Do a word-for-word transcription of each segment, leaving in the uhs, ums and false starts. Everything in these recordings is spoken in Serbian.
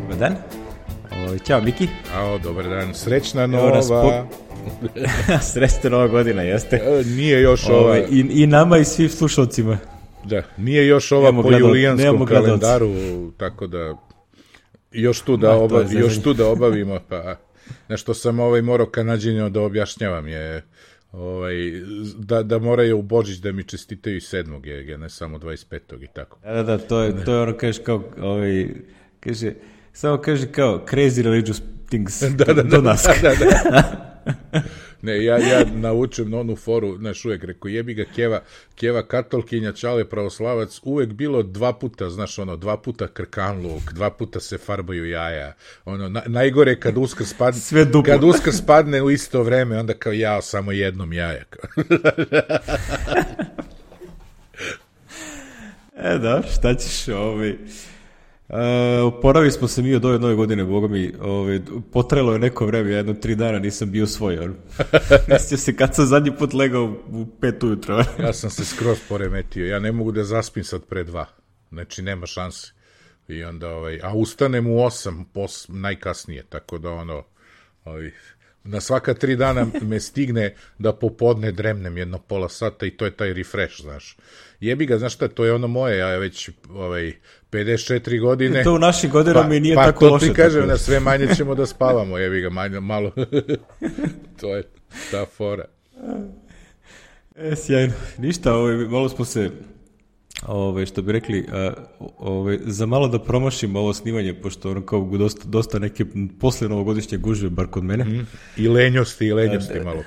Dobar dan. O, ćao Miki. Ao, dobar dan. Srećna nova. Po... Srećna nova godina, jeste. E, nije još ova... Ove, i, I nama i svim slušalcima. Da, nije još ova nemamo po gledal... julijanskom kalendaru, tako da još tu da, oba... još tu da obavimo, pa nešto sam ovaj morao Kanadžinjama da objašnjavam je... Ovaj, da, da moraju u Božić da mi čestitaju sedmog je, ne samo dvadeset petog i tako. Da, da, da, to je, to je ono kaže kao, ovaj, kaže, samo kaže kao crazy religious things da, da, do nas. Da, da, da. Ne, ja, ja naučim onu foru, znaš, uvek rekao, jebi ga Keva, Keva katolkinja, Čale pravoslavac, uvek bilo dva puta, znaš, ono, dva puta krkan luk, dva puta se farbaju jaja, ono, na, najgore kad uskrs spadne, kad uskrs spadne u isto vreme, onda kao jao, samo jednom jaja. E, da, šta ćeš, ovaj... Uh, oporavi smo se mi od ove nove godine, boga mi, ovaj, potrajalo je neko vreme, jedno tri dana nisam bio svoj, on. Mislio se kad sam zadnji put legao u pet ujutro. Ja sam se skroz poremetio, ja ne mogu da zaspim sad pre dva, znači nema šanse. I onda, ovaj, a ustanem u osam, pos, najkasnije, tako da ono, ovaj, na svaka tri dana me stigne da popodne dremnem jedno pola sata i to je taj refresh, znaš. Jebi ga, znaš šta, to je ono moje, ja već ovaj, pedeset četiri godine. To u našim godinama pa, i nije pa, tako loše. Pa to ti kažem, na sve manje ćemo da spavamo, jebi ga, manje, malo. To je ta fora. E, sjajno. Ništa, ovaj, malo smo se, ovaj, što bi rekli, ovaj, za malo da promašimo ovo snimanje, pošto ono kao dosta, dosta neke posle novogodišnje gužve, bar kod mene. Mm. I lenjosti, i lenjosti a, malo.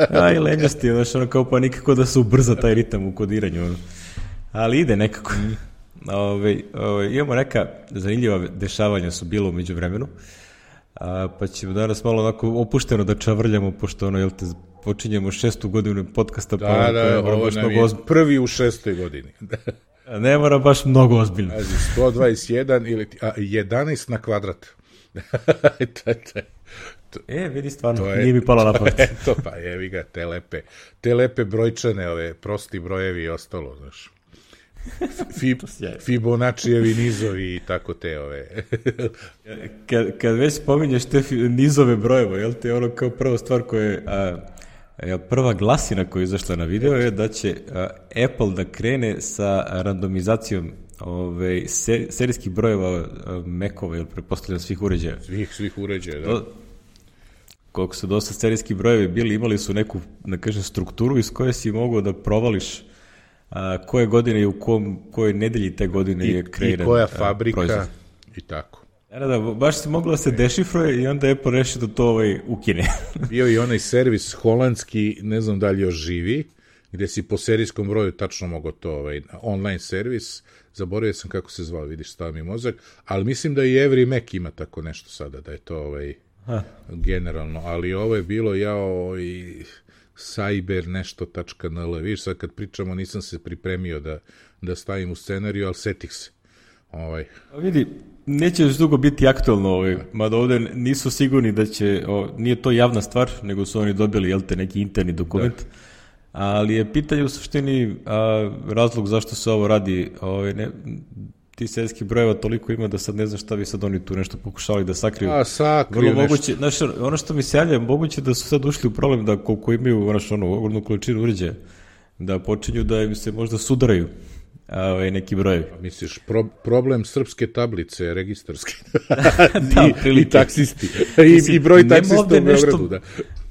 A, i lenjosti, znaš, ono kao pa nikako da se ubrza taj ritam u kodiranju. Ono. Ali ide nekako. Mm. Ove, ove, imamo neka zanimljiva dešavanja su bilo umeđu vremenu, a, pa ćemo danas malo onako opušteno da čavrljamo, pošto ono, jel te, počinjemo šestu godinu podcasta. Da, pa, da, ovo nam mnogo je ozbiljno. Prvi u šestoj godini. Ne mora baš mnogo ozbiljno. sto dvadeset jedan ili a, jedanaest na kvadrat. to, to, to, e, vidi stvarno, je, nije mi palo na pamet. To pa jevi ga, te lepe, te lepe brojčane, ove prosti brojevi i ostalo, znaš. Fib, Fibonaccijevi nizovi i tako te ove. kad, kad već spominješ te nizove brojeva, jel te ono kao prva stvar koja je, a, a, prva glasina koja je izašla na video je da će a, Apple da krene sa randomizacijom ove, ser, serijskih brojeva Macova, jel pretpostavljam svih uređaja. Svih, svih uređaja, da. Do, koliko su dosta serijski brojevi bili, imali su neku, da kažem, strukturu iz koje si mogao da provališ a, koje godine i u kom, kojoj nedelji te godine I, je kreiran i koja fabrika proizvod. I tako. Da, da, baš se moglo da se dešifruje i onda je Apple rešio da to ovaj ukine. Bio i onaj servis holandski, ne znam da li još živi, gde si po serijskom broju tačno mogo to, ovaj, online servis, zaboravio sam kako se zvao, vidiš, stava mi mozak, ali mislim da i Every Mac ima tako nešto sada, da je to ovaj, generalno, ali ovo je bilo jao i cyber nešto tačka nl, vidiš, sad kad pričamo nisam se pripremio da, da stavim u scenariju, ali setih se. Ovaj. Vidi, neće još dugo biti aktualno, ovaj, mada ovde nisu sigurni da će, o, nije to javna stvar, nego su oni dobili, jel te, neki interni dokument, da. Ali je pitanje u suštini a, razlog zašto se ovo radi, ovaj, ne, ti serijskih brojeva toliko ima da sad ne znam šta bi sad oni tu nešto pokušali da sakriju. A, sakriju Vrlo nešto. Moguće, znaš, ono što mi se javlja, moguće da su sad ušli u problem da koliko imaju, znaš, ono, ogromnu količinu uređaja, da počinju da im se možda sudaraju a, ovaj, neki brojevi. Misliš, pro, problem srpske tablice, registarske. Da, I, i taksisti. I, i broj taksista u Beogradu, da.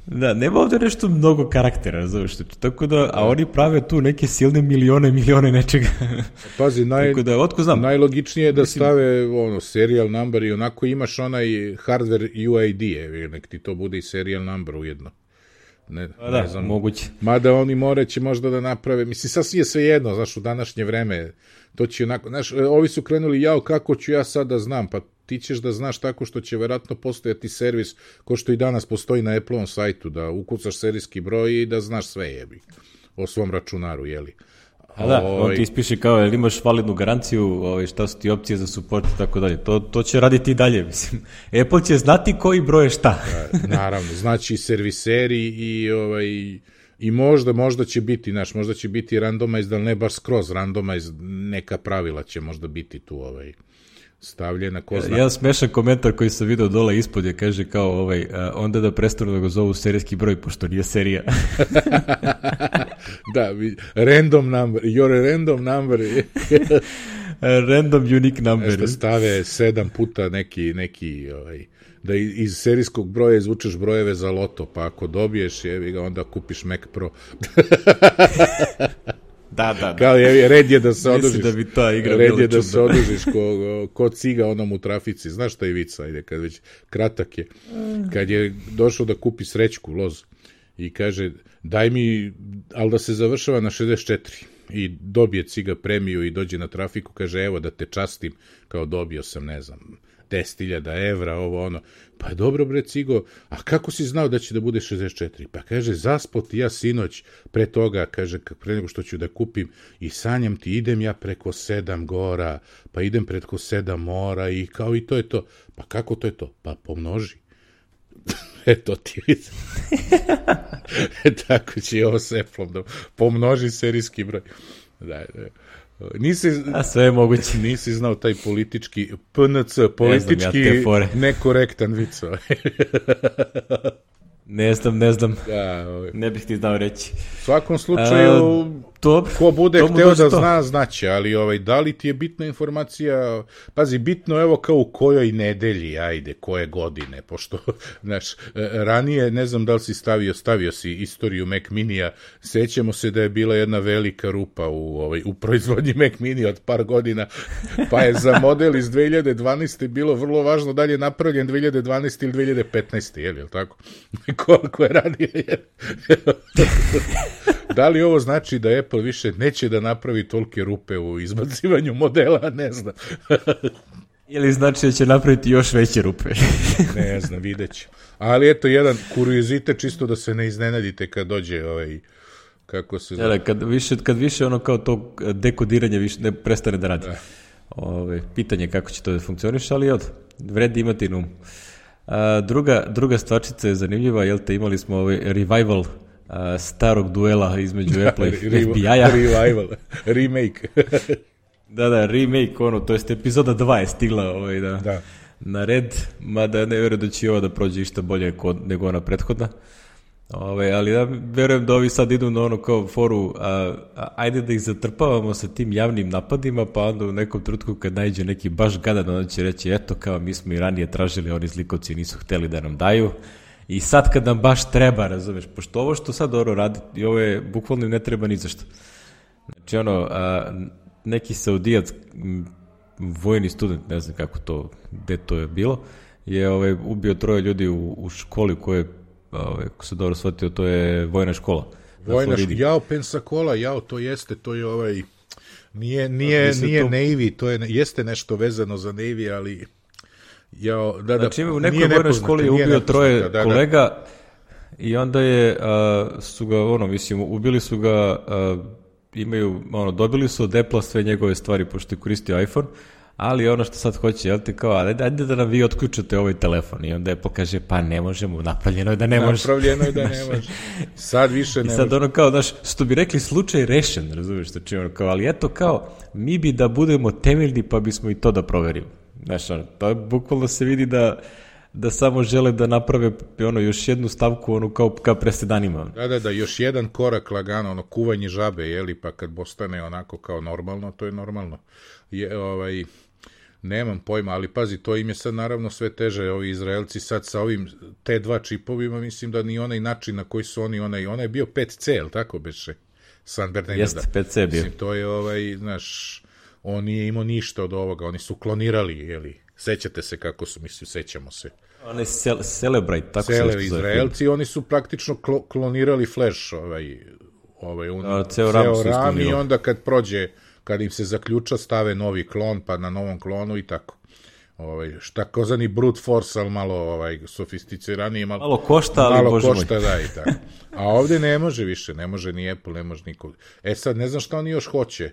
Da, nema ovde nešto mnogo karaktera, znaš, tako da, a oni prave tu neke silne milione, milione nečega. Pazi, naj, da, otko znam. najlogičnije je da mislim, stave ono, serial number i onako imaš onaj hardware U I D, nek ti to bude i serial number ujedno. Ne, a da, ne znam, moguće. Mada oni moraće možda da naprave, mislim, sasvim je sve jedno, znaš, u današnje vreme, to će onako, znaš, ovi su krenuli, jao, kako ću ja sad da znam, pa ti ćeš da znaš tako što će verovatno postojati servis, ko što i danas postoji na Apple-ovom sajtu, da ukucaš serijski broj i da znaš sve jebi o svom računaru, jeli. A da, on ti ispiše kao, jel imaš validnu garanciju, ovaj, šta su ti opcije za support i tako dalje. To, to će raditi i dalje, mislim. Apple će znati koji broj je šta. Da, naravno, znači serviseri i, ovaj, i možda, možda će biti, znaš, možda će biti randomize, da ne baš skroz randomize, neka pravila će možda biti tu, ovaj, stavljena, ko zna. Jedan smešan komentar koji sam video dole ispod je, kaže kao ovaj, a, onda da prestanu da ga zovu serijski broj, pošto nije serija. Da, random number, your random number. Random unique number. Nešto stave sedam puta neki, neki ovaj, da iz serijskog broja izvučeš brojeve za loto, pa ako dobiješ, jevi ga, onda kupiš Mac Pro. Da, da, da. Kao je, red je da se odužiš. Da bi ta igra red je da se odužiš ko, ko ciga onom u trafici. Znaš šta je vica, ajde, kad već kratak je. Kad je došao da kupi srećku, loz, i kaže, daj mi, ali da se završava na šezdeset četiri. I dobije ciga premiju i dođe na trafiku, kaže, evo da te častim, kao dobio sam, ne znam, deset hiljada evra, ovo ono. Pa dobro bre cigo, a kako si znao da će da bude šezdeset četiri? Pa kaže, zaspao ti ja sinoć pre toga, kaže, pre nego što ću da kupim, i sanjam ti, idem ja preko sedam gora, pa idem preko sedam mora i kao i to je to. Pa kako to je to? Pa pomnoži. Eto ti vidi. E, tako će ovo s Apple-om da pomnoži serijski broj. Da, da. Nisi, a sve je moguće. Nisi znao taj politički P N C, politički ne znam, ja nekorektan vic. Ne znam, ne znam. Da, ovaj. Ne bih ti znao reći. U svakom slučaju, uh, to, ko bude hteo da to. zna, znaće, ali ovaj, da li ti je bitna informacija, pazi, bitno evo kao u kojoj nedelji, ajde, koje godine, pošto, znaš, ranije, ne znam da li si stavio, stavio si istoriju Mac Minija, sećamo se da je bila jedna velika rupa u, ovaj, u proizvodnji Mac Mini od par godina, pa je za model iz dve hiljade dvanaeste bilo vrlo važno da li je napravljen dve hiljade dvanaeste ili dve hiljade petnaeste, je li tako? Koliko je ranije. Da li ovo znači da Apple više neće da napravi tolike rupe u izbacivanju modela? Ne znam. Ili znači da će napraviti još veće rupe? Ne znam, vidjet ću. Ali eto, jedan kuriozitet, čisto da se ne iznenadite kad dođe ovaj, kako se zove. Kad više, kad više ono kao to dekodiranje više ne prestane da radi. Da. Ove, pitanje kako će to da funkcioniš, ali od vredi imati na umu. A, druga, druga stvarčica je zanimljiva, jel te, imali smo ovaj revival a, starog duela između Apple i F B I-a. Revival, remake. Da, da, remake, ono, to jest epizoda dva je stigla ovaj, da, da. na red, mada ne vjerujem da će ovo da prođe išta bolje kod, nego ona prethodna. Ove, ali ja verujem da ovi sad idu na ono kao foru, a, a, ajde da ih zatrpavamo sa tim javnim napadima, pa onda u nekom trenutku kad najde neki baš gadan, onda će reći, eto, kao mi smo i ranije tražili, oni zlikovci nisu hteli da nam daju, i sad kad nam baš treba, razumeš, pošto ovo što sad Oro radi, i ovo je bukvalno ne treba ni zašto. Znači ono, a, neki saudijac, vojni student, ne znam kako to, gde to je bilo, je ovaj, ubio troje ljudi u, u školi koje Ove, ako se dobro shvatio, to je vojna škola. Vojna škola, jao, Pensacola, jao, to jeste, to je ovaj, nije, nije, nije to... Navy, to je, jeste nešto vezano za Navy, ali jao, da, da, znači, u nekoj vojnoj školi je ubio troje da, da, kolega da. I onda je, a, su ga, ono, mislim, ubili su ga, a, imaju, ono, dobili su od Apple sve njegove stvari, pošto je koristio iPhone, ali ono što sad hoće, jel ti kao, ajde, ajde da nam vi otključate ovaj telefon. I onda Apple kaže, pa ne možemo, napravljeno je da ne može. Napravljeno je da ne može. Sad više ne može. I sad ono kao, znaš, što bi rekli, slučaj rešen, razumiješ, znači ono kao, ali eto kao, mi bi da budemo temeljni, pa bismo i to da proverimo. Znaš, ono, to je bukvalno se vidi da, da samo žele da naprave ono, još jednu stavku, ono, kao, kao presedanima. Da, da, da, još jedan korak lagano, ono, kuvanje žabe, jeli, pa kad postane onako kao normalno, to je normalno. Je, ovaj... Nemam pojma, ali pazi, to im je sad naravno sve teže, ovi Izraelci sad sa ovim T dva čipovima, mislim da ni onaj način na koji su oni, onaj, onaj je bio pet C, jel tako beše? San Bernardino. Jeste, pet C bio. Mislim, to je, ovaj, znaš, on nije imao ništa od ovoga, oni su klonirali, jeli, sećate se kako su, mislim, sećamo se. Oni cel, Celebrate, tako Cele, se zove. Izraelci, oni su praktično klo, klonirali Flash, ovaj, ovaj, un, no, ceo RAM, ceo RAM i onda kad prođe, kad im se zaključa, stave novi klon, pa na novom klonu i tako. Ovaj, šta kozani brute force, ali malo ovaj, sofisticiraniji. Malo, malo košta, ali malo bože košta, moj. Da, i tako. A ovdje ne može više, ne može ni Apple, ne može niko. E sad, ne znam šta oni još hoće.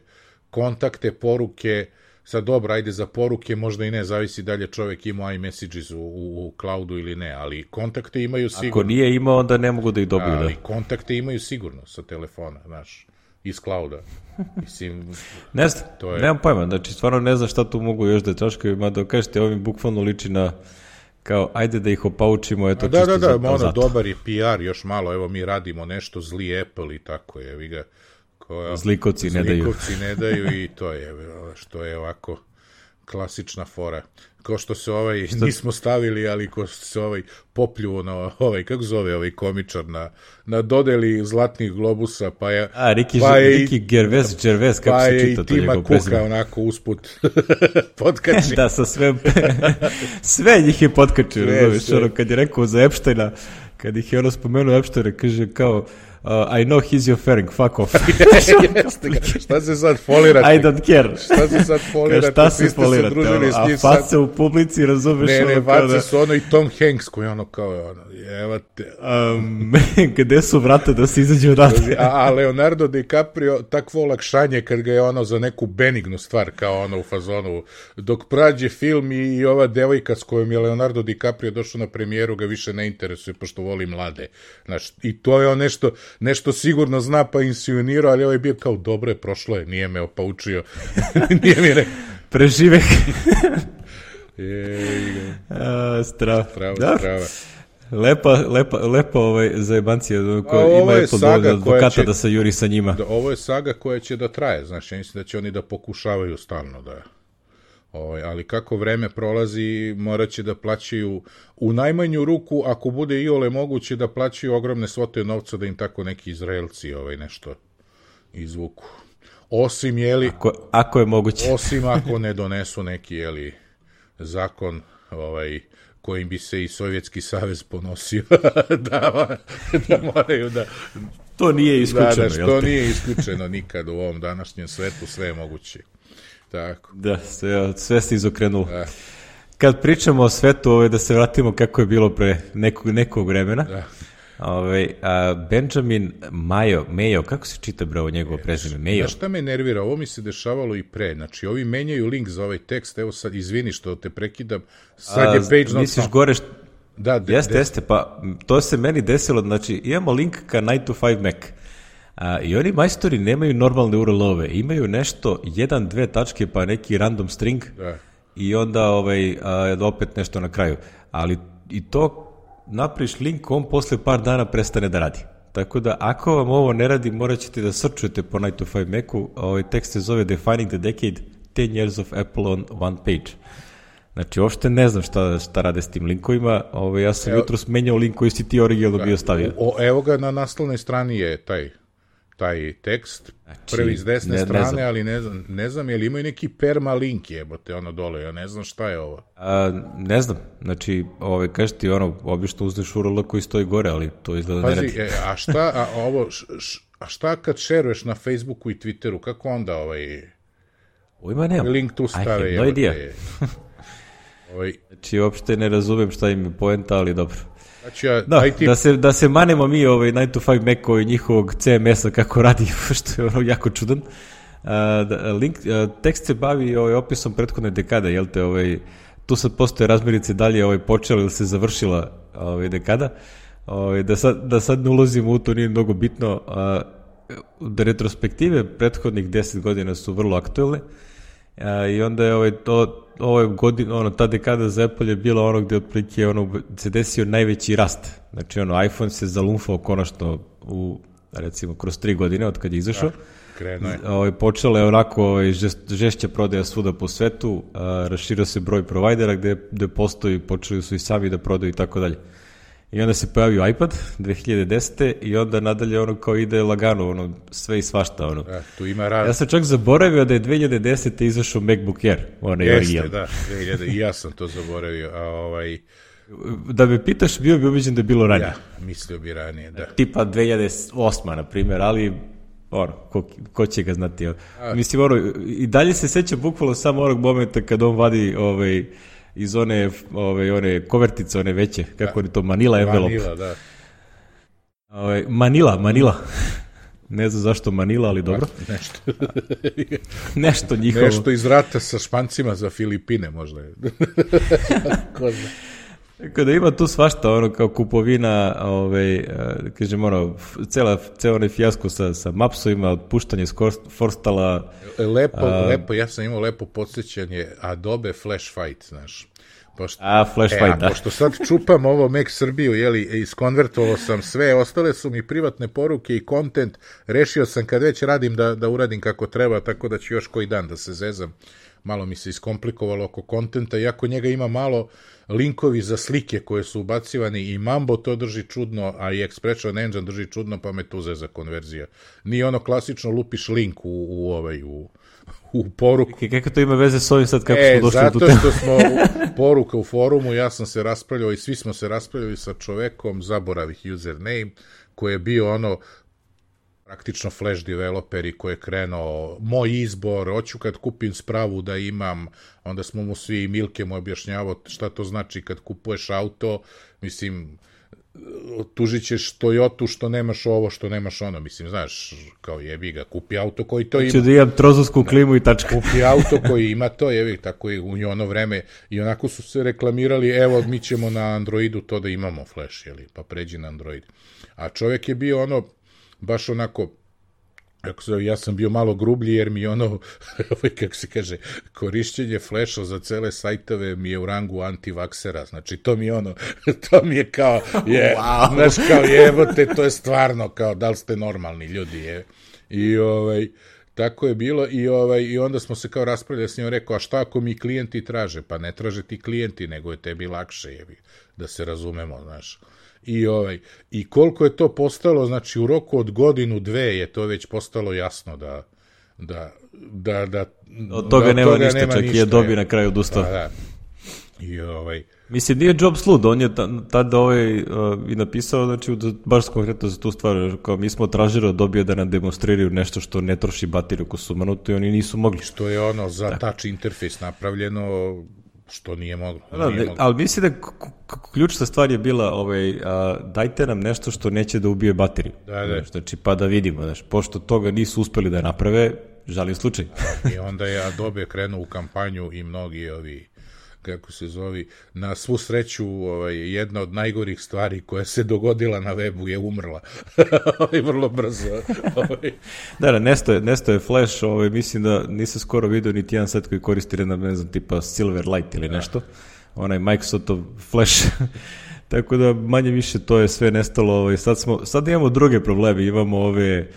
Kontakte, poruke, sad dobro, ajde za poruke, možda i ne, zavisi da li je čovjek imao iMessages u, u, u cloudu ili ne, ali kontakte imaju sigurno. Ako nije imao, onda ne mogu da ih dobiju. Ali da. kontakte imaju sigurno sa telefona, znaš. iz clouda. Mislim, ne znam, to je... nemam pojma, znači stvarno ne znam šta tu mogu još da čaškaju, mada kažete, ovim bukvalno liči na kao, ajde da ih opaučimo, eto, da, čisto da, da, za, ono, zato. dobar je P R, još malo, evo mi radimo nešto, zli Apple i tako je, vi ga... Koja, zlikovci ne daju. Zlikovci ne daju i to je, što je ovako klasična fora. Ko što se ovaj, što... nismo stavili, ali ko što se ovaj popljuo na ovaj, kako zove ovaj komičar, na, na dodeli zlatnih globusa, pa je... A, Riki, pa je, Riki Gervais, Gervais, kako pa se čita to njegov prezime. Pa je i Tima Kuka onako usput potkači. Da, sa sve... sve njih je potkačio, razumiješ, ono, kad je rekao za Epsteina, kad ih je ono spomenuo Epsteina, kaže kao... Uh, I know he's your fairing, fuck off. Šta se sad folirate? I don't care. Šta se sad folirate? Šta se folirate? Ono, a face sad... u publici, razumeš? Ne, ne, ono, face da... su ono i Tom Hanks koji ono kao, ono, evo te. Um, gde su vrata da se izađe odatle? a, a Leonardo DiCaprio, takvo olakšanje kad ga je ono za neku benignu stvar, kao ono u fazonu, dok prađe film i, i ova devojka s kojom je Leonardo DiCaprio došao na premijeru ga više ne interesuje, pošto voli mlade. Znaš, i to je on nešto... nešto sigurno zna pa insinuirao, ali ovo je bio kao dobro je, prošlo je, nije me opaučio. Nije mi rekao. Prežive. je, strava. Strava, da. strava. Lepa, lepa, lepa ovaj zajebancija koja ima je saga advokata će, da se juri sa njima. Da, ovo je saga koja će da traje, znači, ja mislim da će oni da pokušavaju stalno da... Ovaj, ali kako vreme prolazi, morat će da plaćaju u najmanju ruku, ako bude iole moguće, da plaćaju ogromne svote novca da im tako neki Izraelci ovaj, nešto izvuku. Osim, jeli... Ako, ako je moguće. Osim ako ne donesu neki, jeli, zakon ovaj, kojim bi se i Sovjetski savez ponosio da, da moraju da... To nije isključeno, da, da, što nije isključeno nikad u ovom današnjem svetu, sve je moguće. Tako. Da, sve, sve se izokrenulo. Da. Kad pričamo o svetu, ovaj, da se vratimo kako je bilo pre nekog, nekog vremena, da. Ovaj, a Benjamin Mayo, Mayo, kako se čita bravo njegovo prezime? Mayo. Znaš šta me nervira? Ovo mi se dešavalo i pre. Znači, ovi menjaju link za ovaj tekst, evo sad, izvini što te prekidam, sad je page not misliš gore što... Da, de, jeste, de... jeste, pa to se meni desilo, znači imamo link ka nine to five Mac. A, i oni majstori nemaju normalne U R L-ove, imaju nešto, jedan, dve tačke, pa neki random string da. I onda ovaj, a, opet nešto na kraju. Ali i to napriš link, on posle par dana prestane da radi. Tako da ako vam ovo ne radi, morat ćete da srčujete po nine to five Macu. Ovaj tekst se zove Defining the Decade, ten years of Apple on one page. Znači, uopšte ne znam šta, šta rade s tim linkovima. Ovaj, ja sam evo, jutros menjao link koji si ti originalno bio stavio. O, evo ga, na naslovnoj strani je taj taj tekst, znači, prvi s desne ne, strane, ne znam. Ali ne znam, ne znam, je li imaju neki permalink jebote, ono dole, ja ne znam šta je ovo. A, ne znam, znači, ovaj, kažeš ti, ono, obično uzmeš U R L koji stoji gore, ali to izgleda Pazi, ne radi. E, a šta, a, ovo, š, š, a šta kad šeruješ na Facebooku i Twitteru, kako onda ovaj... Ujma nemam. Link tu stave, I have no idea. ovaj... Znači, uopšte ne razumem šta im je poenta, ali dobro. Znači, ja, da, ti... da, se, da se manemo mi ovaj nine to five Mac-o i njihovog C M S-a kako radi, što je ono jako čudan. Uh, da, link, uh, tekst se bavi ovaj, opisom prethodne dekade, jel te, ovaj, tu sad postoje razmirice dalje ovaj, počela ili se završila ovaj, dekada. Ovaj, da, sad, da sad ne ulazimo u to, nije mnogo bitno. Uh, da retrospektive prethodnih deset godina su vrlo aktuelne. Uh, I onda je ovaj, to ovo godin, ono, ta dekada za Apple je bila ono gde otprilike ono, se desio najveći rast. Znači, ono, iPhone se zalumfao konačno u, recimo, kroz tri godine od kad je izašao. Krenuo je. Ovaj, počela je onako ovaj, žest, žešća prodaja svuda po svetu, a, raširio se broj provajdera gde, gde postoji, počeli su i sami da prodaju i tako dalje. I onda se pojavio iPad dve hiljade desete. i onda nadalje ono kao ide lagano, ono, sve i svašta. Ono. Da, tu ima raz... Ja sam čak zaboravio da je dve hiljade desete. izašao MacBook Air. Onaj Jeste, original. da, dve hiljade i ja sam to zaboravio. A ovaj... Da me pitaš, bio bi ubeđen da je bilo ranije. Ja, mislio bi ranije, da. Tipa dve hiljade osma, na primjer, ali ono, ko, ko će ga znati. A... Mislim, ono, i dalje se seća bukvalno samo onog momenta kad on vadi ovaj, iz one, ovaj, one kovertice, one veće, kako je to, Manila envelope. Manila, da. Ovaj, Manila, Manila. Ne znam zašto Manila, ali dobro. A, nešto. nešto njihovo. Nešto iz rata sa Špancima za Filipine, možda je. Ko zna. Tako da ima tu svašta, ono kao kupovina, ovaj, kažem, ono, cela, cela onaj fijasko sa, sa mapsovima, otpuštanje s Forstala. Lepo, a, lepo, ja sam imao lepo podsjećanje Adobe Flash Fight, znaš. Pošto, a, Flash e, Fight, a, da. Pošto sad čupam ovo Mac Srbiju, jeli, iskonvertovao sam sve, ostale su mi privatne poruke i kontent, rešio sam kad već radim da, da uradim kako treba, tako da ću još koji dan da se zezam. Malo mi se iskomplikovalo oko kontenta, iako njega ima malo linkovi za slike koje su ubacivani i Mambo to drži čudno, a i Expression Engine drži čudno, pa me tu zeza konverzija. Nije ono klasično lupiš link u, u, ovaj, u, u poruku. I kako to ima veze s ovim sad kako e, smo došli zato do teme? što smo poruka u forumu, ja sam se raspravljao i svi smo se raspravljali sa čovekom, zaboravih username, koji je bio ono praktično flash developeri koji je krenuo, moj izbor, hoću kad kupim spravu da imam, onda smo mu svi, Milke mu objašnjavao šta to znači kad kupuješ auto, mislim, tužit ćeš Toyotu što nemaš ovo, što nemaš ono, mislim, znaš, kao jebi ga, kupi auto koji to ima. Ću da imam trozovsku klimu i tačka. Kupi auto koji ima to, jebi, tako i u ono vreme, i onako su se reklamirali, evo, mi ćemo na Androidu to da imamo flash, jeli, pa pređi na Android. A čovjek je bio ono, baš onako, ja sam bio malo grublji jer mi ono, kako se kaže, korišćenje flasha za cele sajtove mi je u rangu antivaksera, znači to mi je ono, to mi je kao, je, wow. Znaš, kao jebote, to je stvarno kao, da li ste normalni ljudi, je. I ovaj, tako je bilo i ovaj i onda smo se kao raspravljali s njim, rekao, a šta ako mi klijenti traže? Pa ne traže ti klijenti, nego je tebi lakše, jebi, da se razumemo, znaš. I, ovaj, i koliko je to postalo, znači u roku od godinu, dve je to već postalo jasno da da, da, da od toga da, nema toga ništa, nema čak ništa, i je dobi na kraju odustao. Da, da. I ovaj... Mislim, nije Jobs lud, on je tada ovaj, uh, i napisao, znači, baš konkretno za tu stvar, kao mi smo tražili od Dobija da nam demonstriraju nešto što ne troši bateriju ko su manuto i oni nisu mogli. Što je ono za da. touch interfejs napravljeno, što nije moglo. Da, nije moglo. Ali mislim da ključna stvar je bila, ovaj, a, dajte nam nešto što neće da ubije bateriju. Da, da. Znači, pa da vidimo, znači, pošto toga nisu uspeli da naprave, žalim slučaj. I onda je Adobe krenuo u kampanju i mnogi ovi, kako se zovi, na svu sreću ovaj, jedna od najgorih stvari koja se dogodila na webu je umrla. Vrlo brzo. Da, da, nesto je, nesto je Flash, ovaj, mislim da nisam skoro vidio niti jedan set koji koristi jedna, ne znam, tipa Silverlight ili nešto. Onaj Microsoftov Flash. Tako da manje više to je sve nestalo. Ovaj, sad, smo, sad imamo druge probleme, imamo ove...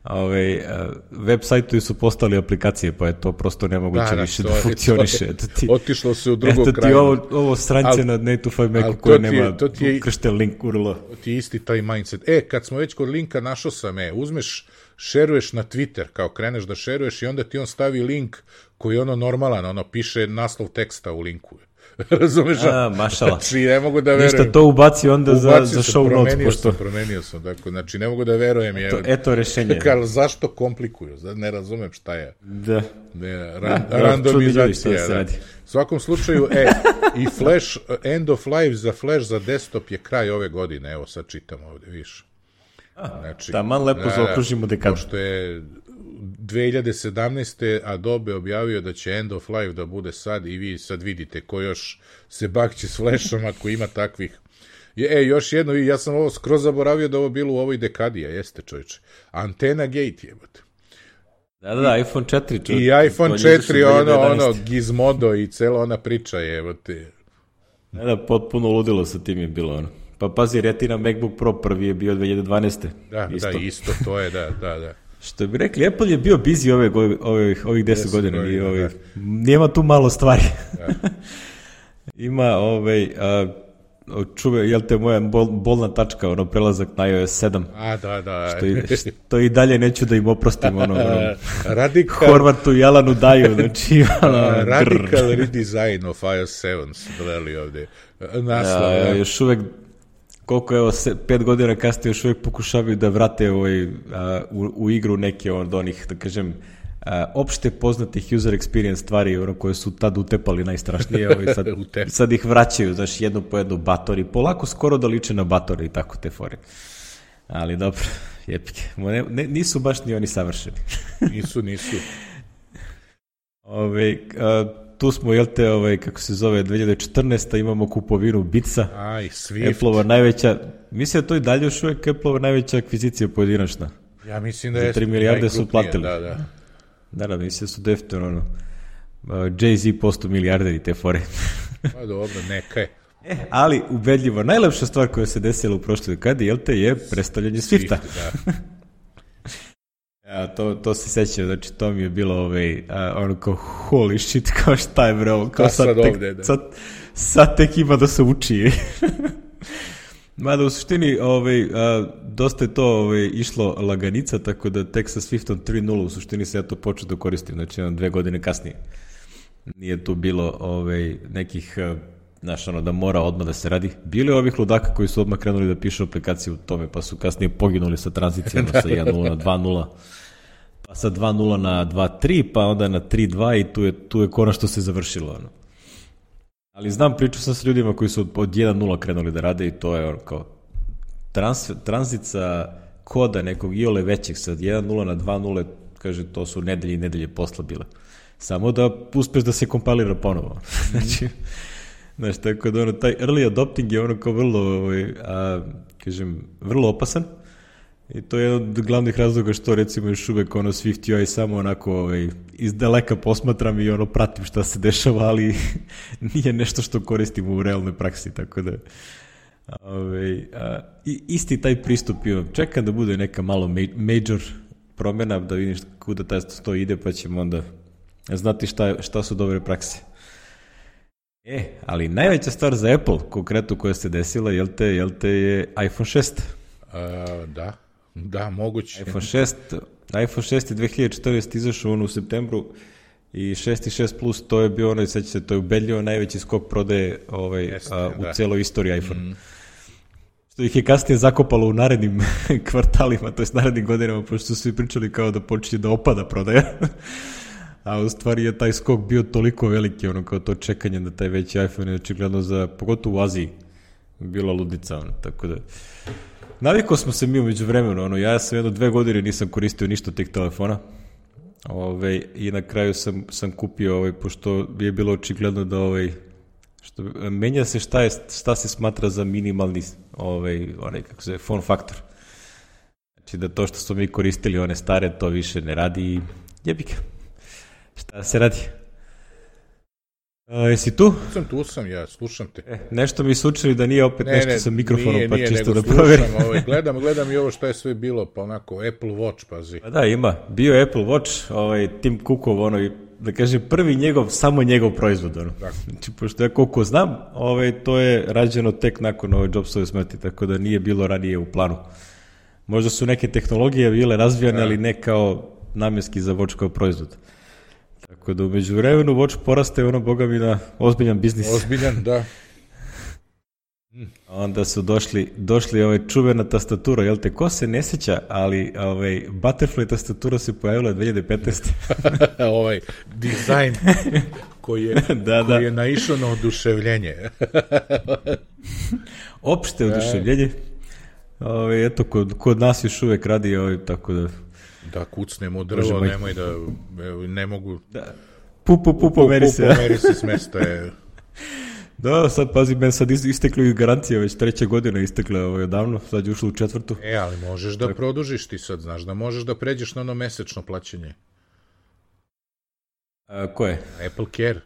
Ove, web sajtovi su postali aplikacije, pa je to prosto nemoguće da, da, više da je, funkcioniše. Je, ti, otišlo se u drugo kraju. Eto ti ovo, ovo srance al, na native Macu koje nema ukršten link U R L. Ti je isti taj mindset. E, kad smo već kod linka, našao sam, e, uzmeš, šeruješ na Twitter, kao kreneš da šeruješ i onda ti on stavi link koji je ono normalan, ono piše naslov teksta u linku. Razumeš? A, mašala. Znači, ne mogu da verujem. Ništa to ubaci onda ubaci za, za show notes. Promenio pošto... sam, promenio sam. Dakle, znači, ne mogu da verujem. Eto, je, eto rešenje. Kar, zašto komplikuju? Ne razumem šta je. Da. Ne, ran, da, randomizacija. Da. U svakom slučaju, e, i Flash, end of life za Flash za desktop je kraj ove godine. Evo, sad čitam ovde, viš. Znači, taman lepo da, zaokružimo dekadu. Pošto je dve hiljade sedamnaeste. Adobe objavio da će end of life da bude sad i vi sad vidite ko još se bakće s Flashom ako ima takvih. E, još jedno, ja sam ovo skroz zaboravio da ovo bilo u ovoj dekadi, a jeste čovječe. Antena Gate jebate. Da, da, iPhone četiri. Čovječ. I iPhone četiri, ono, ono, Gizmodo i cela ona priča jebate. Da, da, potpuno ludilo sa tim je bilo ono. Pa pazi, Retina MacBook Pro prvi je bio dve hiljade dvanaeste. Da, isto. Da, isto, to je, da, da, da. Što bi rekli, Apple je bio busy ove, ove, ovih deset godina. I ove, nema tu malo stvari. Da. Ima, ovaj, a, čuve, jel te moja bol, bolna tačka, ono, prelazak na iOS sedam. A, da, da. Što i, što i dalje neću da im oprostim, ono, ono Radikal... Horvatu i Alanu daju, znači, ono, uh, Radical redesign of iOS sedam, dodali ovde. Naslov, ja, ja. Još uvek, koliko evo, se, pet godina kasnije još uvijek pokušavaju da vrate ovaj, a, u, u igru neke od onih, da kažem, a, opšte poznatih user experience stvari ono, koje su tad utepali najstrašnije, ovaj, sad, sad ih vraćaju, znaš, jedno po jedno Batori, polako skoro da liče na Batori i tako te fore. Ali dobro, jepike, ne, ne, nisu baš ni oni savršeni. Nisu, nisu. Ove, a, tu smo, jel te, ovaj, kako se zove, dve hiljade četrnaeste. imamo kupovinu Beatsa. Aj, Swift. Apple-ova najveća, mislim da to i dalje još uvijek Apple-ova najveća akvizicija pojedinačna. Ja mislim da je... Za tri milijarde su platili. Da, da. Da, da, mislim da su definitivno, ono, Jay-Z posto milijarder i te fore. Pa dobro, neka je. E, ali ubedljivo, najlepša stvar koja se desila u prošloj dekadi, jel te, je predstavljanje Swifta. Swift, da. Ja, to, to se sećam, znači to mi je bilo ovaj, a, ono kao holy shit, kao šta je bro, kao sad, sad, tek, ovde, da. sad, sad tek ima da se uči. Mada u suštini ovaj, a, dosta je to ovaj, išlo laganica, tako da tek sa Swiftom tri nula u suštini se ja to počeo da koristim, znači jedan, dve godine kasnije. Nije tu bilo ovaj, nekih, znaš, ono, da mora odmah da se radi. Bilo je ovih ludaka koji su odmah krenuli da pišu aplikaciju u tome, pa su kasnije poginuli sa tranzicijama sa jedan nula na dva nula, pa sa dva nula na dva tri, pa onda na tri dva i tu je, tu je konačno se završilo. Ono. Ali znam, pričao sam s ljudima koji su od jedan nula krenuli da rade i to je ono kao trans, tranzica koda nekog iole većeg sa jedan nula na dva nula, kaže, to su nedelje i nedelje posla bile. Samo da uspeš da se kompilira ponovo. Znači, znaš, tako da ono, taj early adopting je ono kao vrlo, ovaj, a, kažem, vrlo opasan i to je jedan od glavnih razloga što recimo još uvek ono Swift U I samo onako ovaj, iz daleka posmatram i ono pratim šta se dešava, ali nije nešto što koristim u realnoj praksi, tako da ovaj, a, isti taj pristup imam. Čekam da bude neka malo major promjena, da vidim kuda taj to ide, pa ćemo onda znati šta, šta su dobre prakse. E, ali najveća stvar za Apple, konkretno koja se desila, jel te, jel te je iPhone šest? Uh, da, da, moguće. iPhone šest, iPhone šest je dve hiljade četrnaeste izašao on u septembru i šest i šest plus, to je bio ono, seća se, to je ubedljivo najveći skok prodaje ovaj, Jeste, a, u da. celoj istoriji iPhone. Mm. Što ih je kasnije zakopalo u narednim kvartalima, to je narednim godinama, pošto su svi pričali kao da počinje da opada prodaja. A u stvari je taj skok bio toliko veliki, ono kao to čekanje da taj veći iPhone je očigledno za, pogotovo u Aziji, bila ludnica, ono, tako da. Navikao smo se mi umeđu vremenu, ono, ja sam jedno dve godine nisam koristio ništa od tih telefona, ove, i na kraju sam, sam kupio, ovaj, pošto je bilo očigledno da, ovaj, što, menja se šta, je, šta se smatra za minimalni, ovaj, onaj, kako se, form factor. Znači da to što smo mi koristili, one stare, to više ne radi i jebika. Šta se radi? A, jesi tu? Sam tu sam, ja slušam te. E, nešto mi su učili da nije opet ne, nešto ne, sa mikrofonom, nije, pa nije, čisto da proverim. Ovaj, gledam, gledam i ovo što je sve bilo, pa onako Apple Watch, pazi. Pa da, ima. Bio je Apple Watch, ovaj, Tim Cookov, ono, da kažem, prvi njegov, samo njegov proizvod. Ono. Znači, pošto ja koliko znam, ovaj, to je rađeno tek nakon ove Jobsove smrti, tako da nije bilo ranije u planu. Možda su neke tehnologije bile razvijane, da. ali ne kao namjenski za Watch kao proizvod. Tako da umeđu vremenu Watch poraste ono, boga mi, na ozbiljan biznis. Ozbiljan, da. Onda su došli, došli ovaj čuvena tastatura, jel te, ko se ne sjeća, ali ovaj, Butterfly tastatura se pojavila dve hiljade petnaeste. ovaj dizajn koji je, da, koji da. je naišao na oduševljenje. Opšte oduševljenje. Ovaj, eto, kod, kod nas još uvek radi, ovaj, tako da... Da kucnemo drvo, nemoj da, ne mogu... Da. Pu, pu, pu, pomeri se. Pu, pomeri se s mesta je... Da, sad pazi, men sad istekla i garancija, već treća godina istekla ovaj, odavno, sad je ušlo u četvrtu. E, ali možeš da produžiš ti sad, znaš, da možeš da pređeš na ono mesečno plaćanje. A, ko je? Apple Care.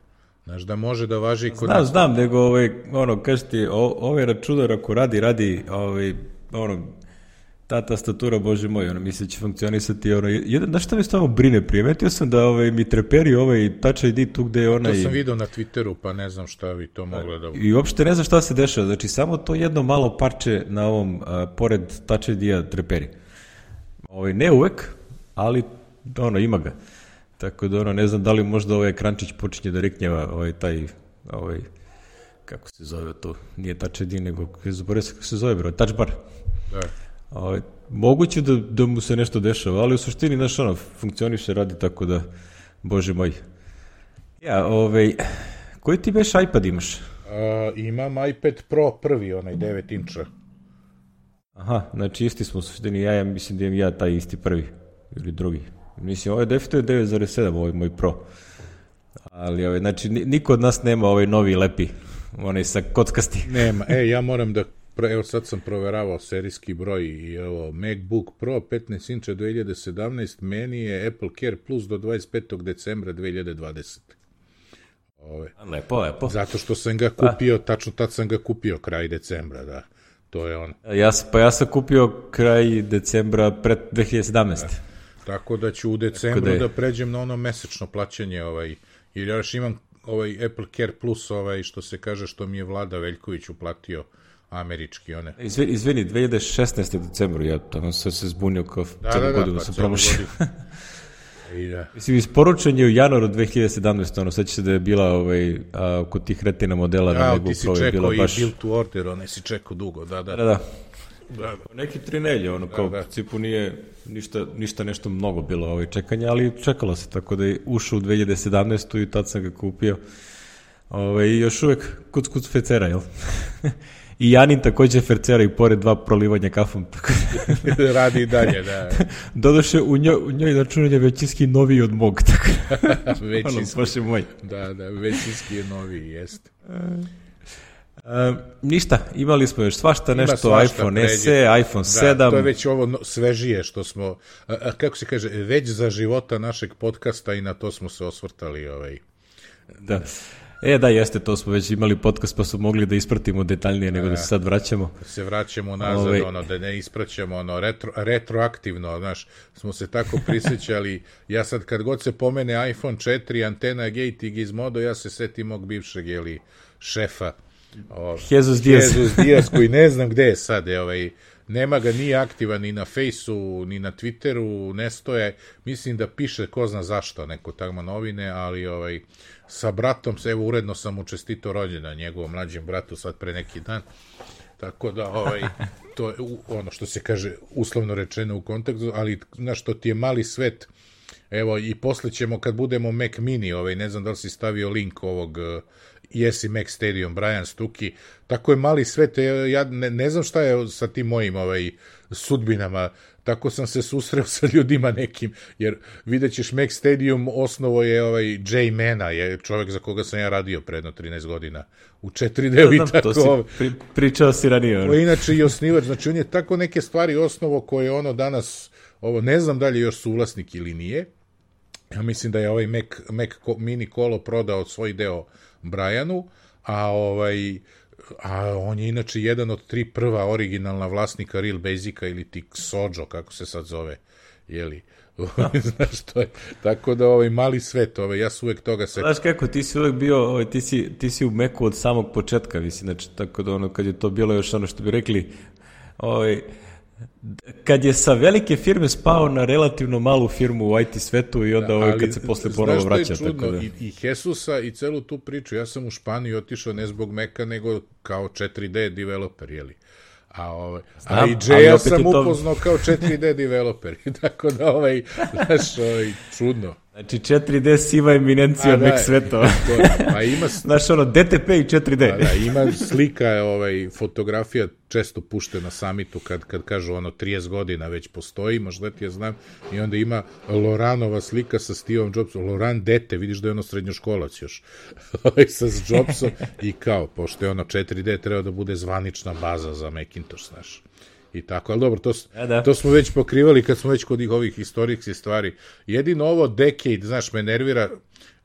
Znaš da može da važi... Kod znam, znam, nego, ovaj, ono, kaži ti, ovaj računar ako radi, radi, ovaj, ono, ta tastatura, bože moj, ono, misli će funkcionisati, ono, jedan, da šta me stvarno brine, primetio sam da ovaj, mi treperi ovaj Touch I D tu gde je onaj... To sam vidio na Twitteru, pa ne znam šta bi to moglo da... I uopšte ne znam šta se dešava, znači samo to jedno malo parče na ovom, a, pored Touch I D-a treperi. Ovaj, ne uvek, ali, ono, ima ga. Tako da, ono, ne znam da li možda ovaj ekrančić počinje da riknjeva, ovaj, taj, ovaj, kako se zove to, nije Touch I D, nego, zaboravio se kako se zove, bro, Touch Bar. Da. Ovaj, moguće da, da mu se nešto dešava, ali u suštini, znaš, ono, funkcioniše, radi, tako da, bože moj. Ja, ovaj, koji ti beš iPad imaš? Uh, imam iPad Pro prvi, onaj devet inča. Aha, znači isti smo u suštini, ja, ja mislim da imam ja taj isti prvi, ili drugi. Mislim, ovo je definitivno devet zarez sedam, ovo je moj Pro. Ali, ovaj, znači, niko od nas nema ovaj novi lepi, onaj sa kockasti. Nema, e, ja moram da, evo sad sam proveravao serijski broj i evo, MacBook Pro petnaest inča dve hiljade sedamnaeste, meni je Apple Care Plus do dvadeset petog decembra dve hiljade dvadesete. Ove. Lepo, lepo. Zato što sam ga kupio, A. tačno tad sam ga kupio kraj decembra, da. To je on. Ja, pa ja sam kupio kraj decembra pred dve hiljade sedamnaeste. Da. Tako da ću u decembru da, da pređem na ono mesečno plaćanje, ovaj, jer ja još imam ovaj Apple Care Plus, ovaj, što se kaže, što mi je Vlada Veljković uplatio američki, one. Izvini, izvini dve hiljade šesnaeste decembru, ja tamo sam se zbunio kao da, celu da, da, godinu pa sam promašio. I da. Mislim, isporučen je u januaru dve hiljade sedamnaeste, ono, sad će se da je bila ovaj, a, kod tih retina modela ja, na MacBook Pro je bila baš... Ja, ti si čekao i build to order, one si čekao dugo, da, da. Da, da. Da, da. Neki tri nelje, ono, kao da, da. U principu nije ništa, ništa nešto mnogo bilo ovaj čekanja, ali čekalo se, tako da je ušao u dve hiljade sedamnaeste. i tad sam ga kupio. Ovaj, još uvek kuc kuc fecera, jel? I Janin takođe fercera i pored dva prolivanja kafom. Radi i dalje, da. Doduše, u njoj, u njoj računanje je većinski noviji od mog, tako. Većinski. Ono, moj. Da, da, većinski je noviji, jeste. Uh, ništa, imali smo još svašta, Ima nešto, svašta, iPhone pređe. S E, iPhone da, sedam. To je već ovo svežije što smo, a, a, kako se kaže, već za života našeg podcasta i na to smo se osvrtali. Ovaj. Da. E, da, jeste, to smo već imali podcast pa smo mogli da ispratimo detaljnije nego da, da se sad vraćamo. Da se vraćamo nazad, Ove... ono, da ne ispraćamo, ono, retro, retroaktivno, znaš, smo se tako prisjećali. Ja sad kad god se pomene iPhone četiri, antena Gate i Gizmodo, ja se setim mog bivšeg, jeli, šefa, O, Jesus Diaz. Jesus Diaz, koji ne znam gde je sad, je, ovaj, nema ga, nije aktivan ni na Fejsu, ni na Twitteru, ne stoje, mislim da piše ko zna zašto, neko tamo novine, ali ovaj, sa bratom, se, evo, uredno sam mu čestito rođendan, njegovom mlađem bratu, sad pre neki dan, tako da, ovaj, to je ono što se kaže, uslovno rečeno u kontekstu, ali, znaš, to ti je mali svet, evo, i posle ćemo, kad budemo Mac Mini, ovaj, ne znam da li si stavio link ovog Jesi Mac Stadium, Brian Stuki, tako je mali svet, ja ne, ne znam šta je sa tim mojim ovaj, sudbinama, tako sam se susreo sa ljudima nekim, jer vidjet ćeš Mac Stadium, osnovo je ovaj Jay Mana, je čovjek za koga sam ja radio predno trinaest godina, u četiri D i tako. To si pri, pričao si ranije. Ono. Inače i osnivač, znači on je tako neke stvari osnovo koje ono danas, ovo ne znam da li je još suvlasnik ili nije, ja mislim da je ovaj Mac, Mac Mini Kolo prodao svoj deo Brianu, a ovaj a on je inače jedan od tri prva originalna vlasnika Real Basica ili ti Sojo, kako se sad zove, jeli, znaš što je, tako da ovaj mali svet, ovaj, ja su uvek toga se... Znaš kako, ti si uvek bio, ovaj, ti, si, ti si u Macu od samog početka, mislim, znači, tako da ono, kad je to bilo još ono što bi rekli, ovaj, kad je sa velike firme spao na relativno malu firmu u I T svetu i onda ovaj, kad se posle ponovo vraća. Znaš što je čudno, tako da... I, i Jesusa i celu tu priču, ja sam u Španiju otišao ne zbog Maca, nego kao četiri D developer, jeli? A, ovaj, Znam, a i Jaya sam to... upoznao kao četiri D developer, tako da, ovaj, znaš, ovaj, čudno. Znači četiri D siva eminencija Mac svetova. A ima... Znaš, ono, D T P i četiri D. A, da, ima slika, ovaj, fotografija često pušte na samitu kad, kad kažu ono trideset godina već postoji, možda ti je znam, i onda ima Loranova slika sa Steveom Jobsom, Loran dete, vidiš da je ono srednjoškolac još, sa Jobsom i kao, pošto je ono četiri D treba da bude zvanična baza za Macintosh, znaš. I tako, ali dobro, to, ja, da. to smo već pokrivali kad smo već kod ovih historijskih stvari. Jedino ovo Decade, znaš, me nervira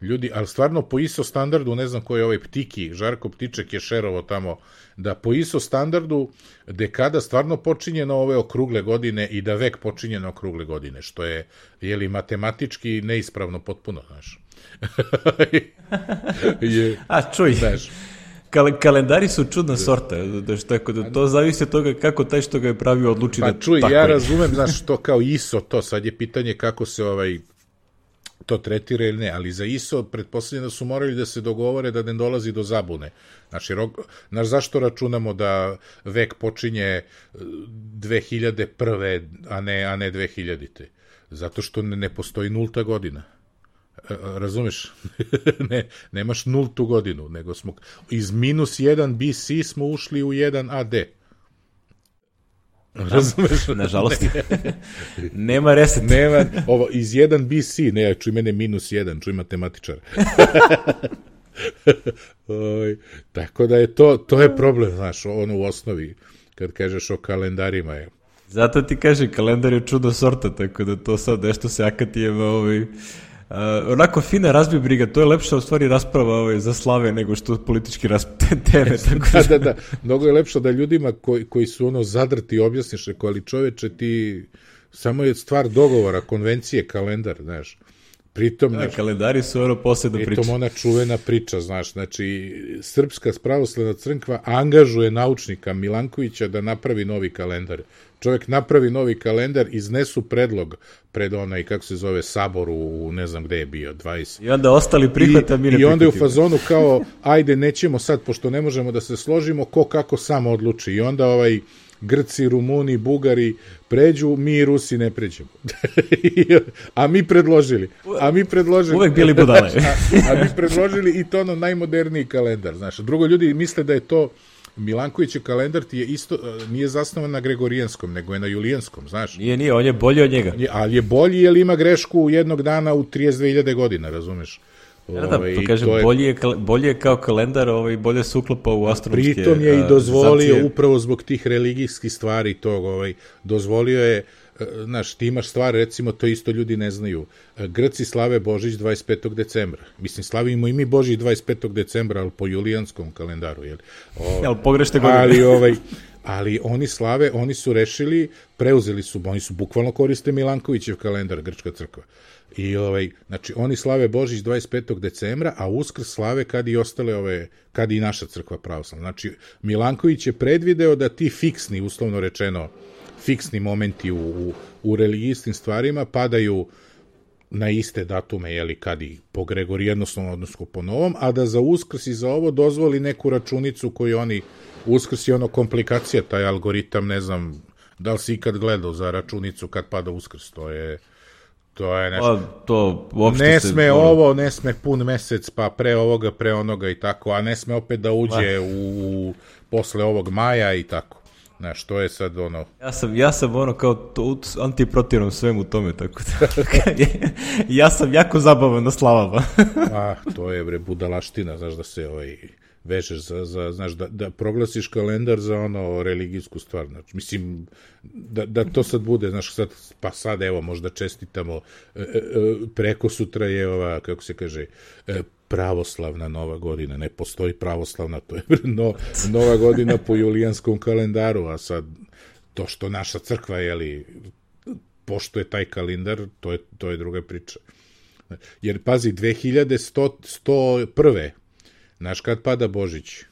ljudi, ali stvarno po I S O standardu, ne znam ko je ovaj Ptiki, Žarko Ptiček je šerovo tamo, da po I S O standardu dekada stvarno počinje na ove okrugle godine i da vek počinje na okrugle godine, što je, jeli, matematički neispravno potpuno, znaš. je, A, čuj. Znaš, Kal- kalendari su čudna sorta, da što tako da to zavisi od toga kako taj što ga je pravio odluči pa da čuj, tako ja je. razumem, znaš, to kao I S O, to sad je pitanje kako se ovaj to tretira ili ne, ali za I S O pretpostavljam da su morali da se dogovore da ne dolazi do zabune. Znači, znaš, zašto računamo da vek počinje dve hiljade prve, a ne, a ne dve hiljadite? Zato što ne, ne postoji nulta godina. Razumeš? ne, nemaš nultu godinu, nego smo iz minus jedan B C smo ušli u jedan A D. Razumeš? Nažalost. Nema reset. Nema, ovo, iz jedan B C, ne, čuj mene minus jedan, čuj matematičar. Oj, tako da je to, to je problem, znaš, ono u osnovi, kad kažeš o kalendarima je. Zato ti kaže, kalendar je čudo sorta, tako da to sad nešto se akatijeva, ovaj, uh, onako fina razbibriga, to je lepša u stvari rasprava ovaj, za slave nego što politički rasprave teme. Tako da, da, da, mnogo je lepša da ljudima koji, koji su ono zadrti objasniš, rekao, ali čoveče ti, samo je stvar dogovora, konvencije, kalendar, znaš. Pritom, da, kalendari su ono posebna priča. Pritom ona čuvena priča, znaš, znači, Srpska pravoslavna crkva angažuje naučnika Milankovića da napravi novi kalendar. Čovjek napravi novi kalendar, iznesu predlog pred onaj, kako se zove, sabor u, ne znam gde je bio, dvadeset. I onda ostali prihvata, mi ne I onda je u fazonu kao, ajde, nećemo sad, pošto ne možemo da se složimo, ko kako samo odluči. I onda ovaj Grci, Rumuni, Bugari pređu, mi i Rusi ne pređemo. A mi predložili. A mi predložili. Uvek bili budale. a, a mi predložili i to ono najmoderniji kalendar. Znaš, drugo ljudi misle da je to Milankovićev kalendar ti je isto, nije zasnovan na gregorijanskom, nego je na julijanskom, znaš. Nije, nije, on je bolji od njega. Nije, ali je bolji jer ima grešku jednog dana u trideset dve hiljade godina, razumeš? Ja, da, pa kažem, je... bolje, je, bolje je kao kalendar, ovaj, bolje se uklapa u astronomske... Pritom je i dozvolio, zacije. Upravo zbog tih religijskih stvari tog, ovaj, dozvolio je, znaš, ti imaš stvar, recimo, to isto ljudi ne znaju. Grci slave Božić dvadeset petog decembra. Mislim, slavimo i mi Božić dvadeset petog decembra, ali po julijanskom kalendaru, jel? O, jel, pogrešne godine. Ali, ovaj, ali oni slave, oni su rešili, preuzeli su, oni su bukvalno koriste Milankovićev kalendar, Grčka crkva. I ovaj, znači oni slave Božić dvadeset petog decembra, a Uskrs slave kad i ostale ove, kad i naša crkva pravoslavna. Znači Milanković je predvideo da ti fiksni, uslovno rečeno, fiksni momenti u, u, u religijskim stvarima padaju na iste datume, jeli, kad i po gregorijanskom, odnosno po novom, a da za Uskrs i za ovo dozvoli neku računicu koju oni, Uskrs je ono komplikacija, taj algoritam, ne znam, da li si ikad gledao za računicu kad pada Uskrs, to je to je nešto. A, to uopšte ne se... sme ovo, ne sme pun mesec, pa pre ovoga, pre onoga i tako, a ne sme opet da uđe u, u posle ovog maja i tako. Znaš, to je sad ono... Ja sam, ja sam ono kao to, antiprotivnom svemu tome, tako da... ja sam jako zabavan na slavama. A, to je bre budalaština, znaš, da se ovaj... vežeš za, za znaš, da, da proglasiš kalendar za ono religijsku stvar, znači, mislim, da, da to sad bude, znaš, sad, pa sad, evo, možda čestitamo, e, e, preko sutra je ova, kako se kaže, e, pravoslavna nova godina, ne postoji pravoslavna, to je no, nova godina po julijanskom kalendaru, a sad, to što naša crkva, jeli, poštuje taj kalendar, to je, to je druga priča. Jer, pazi, dve hiljade sto prve znaš kad pada Božić?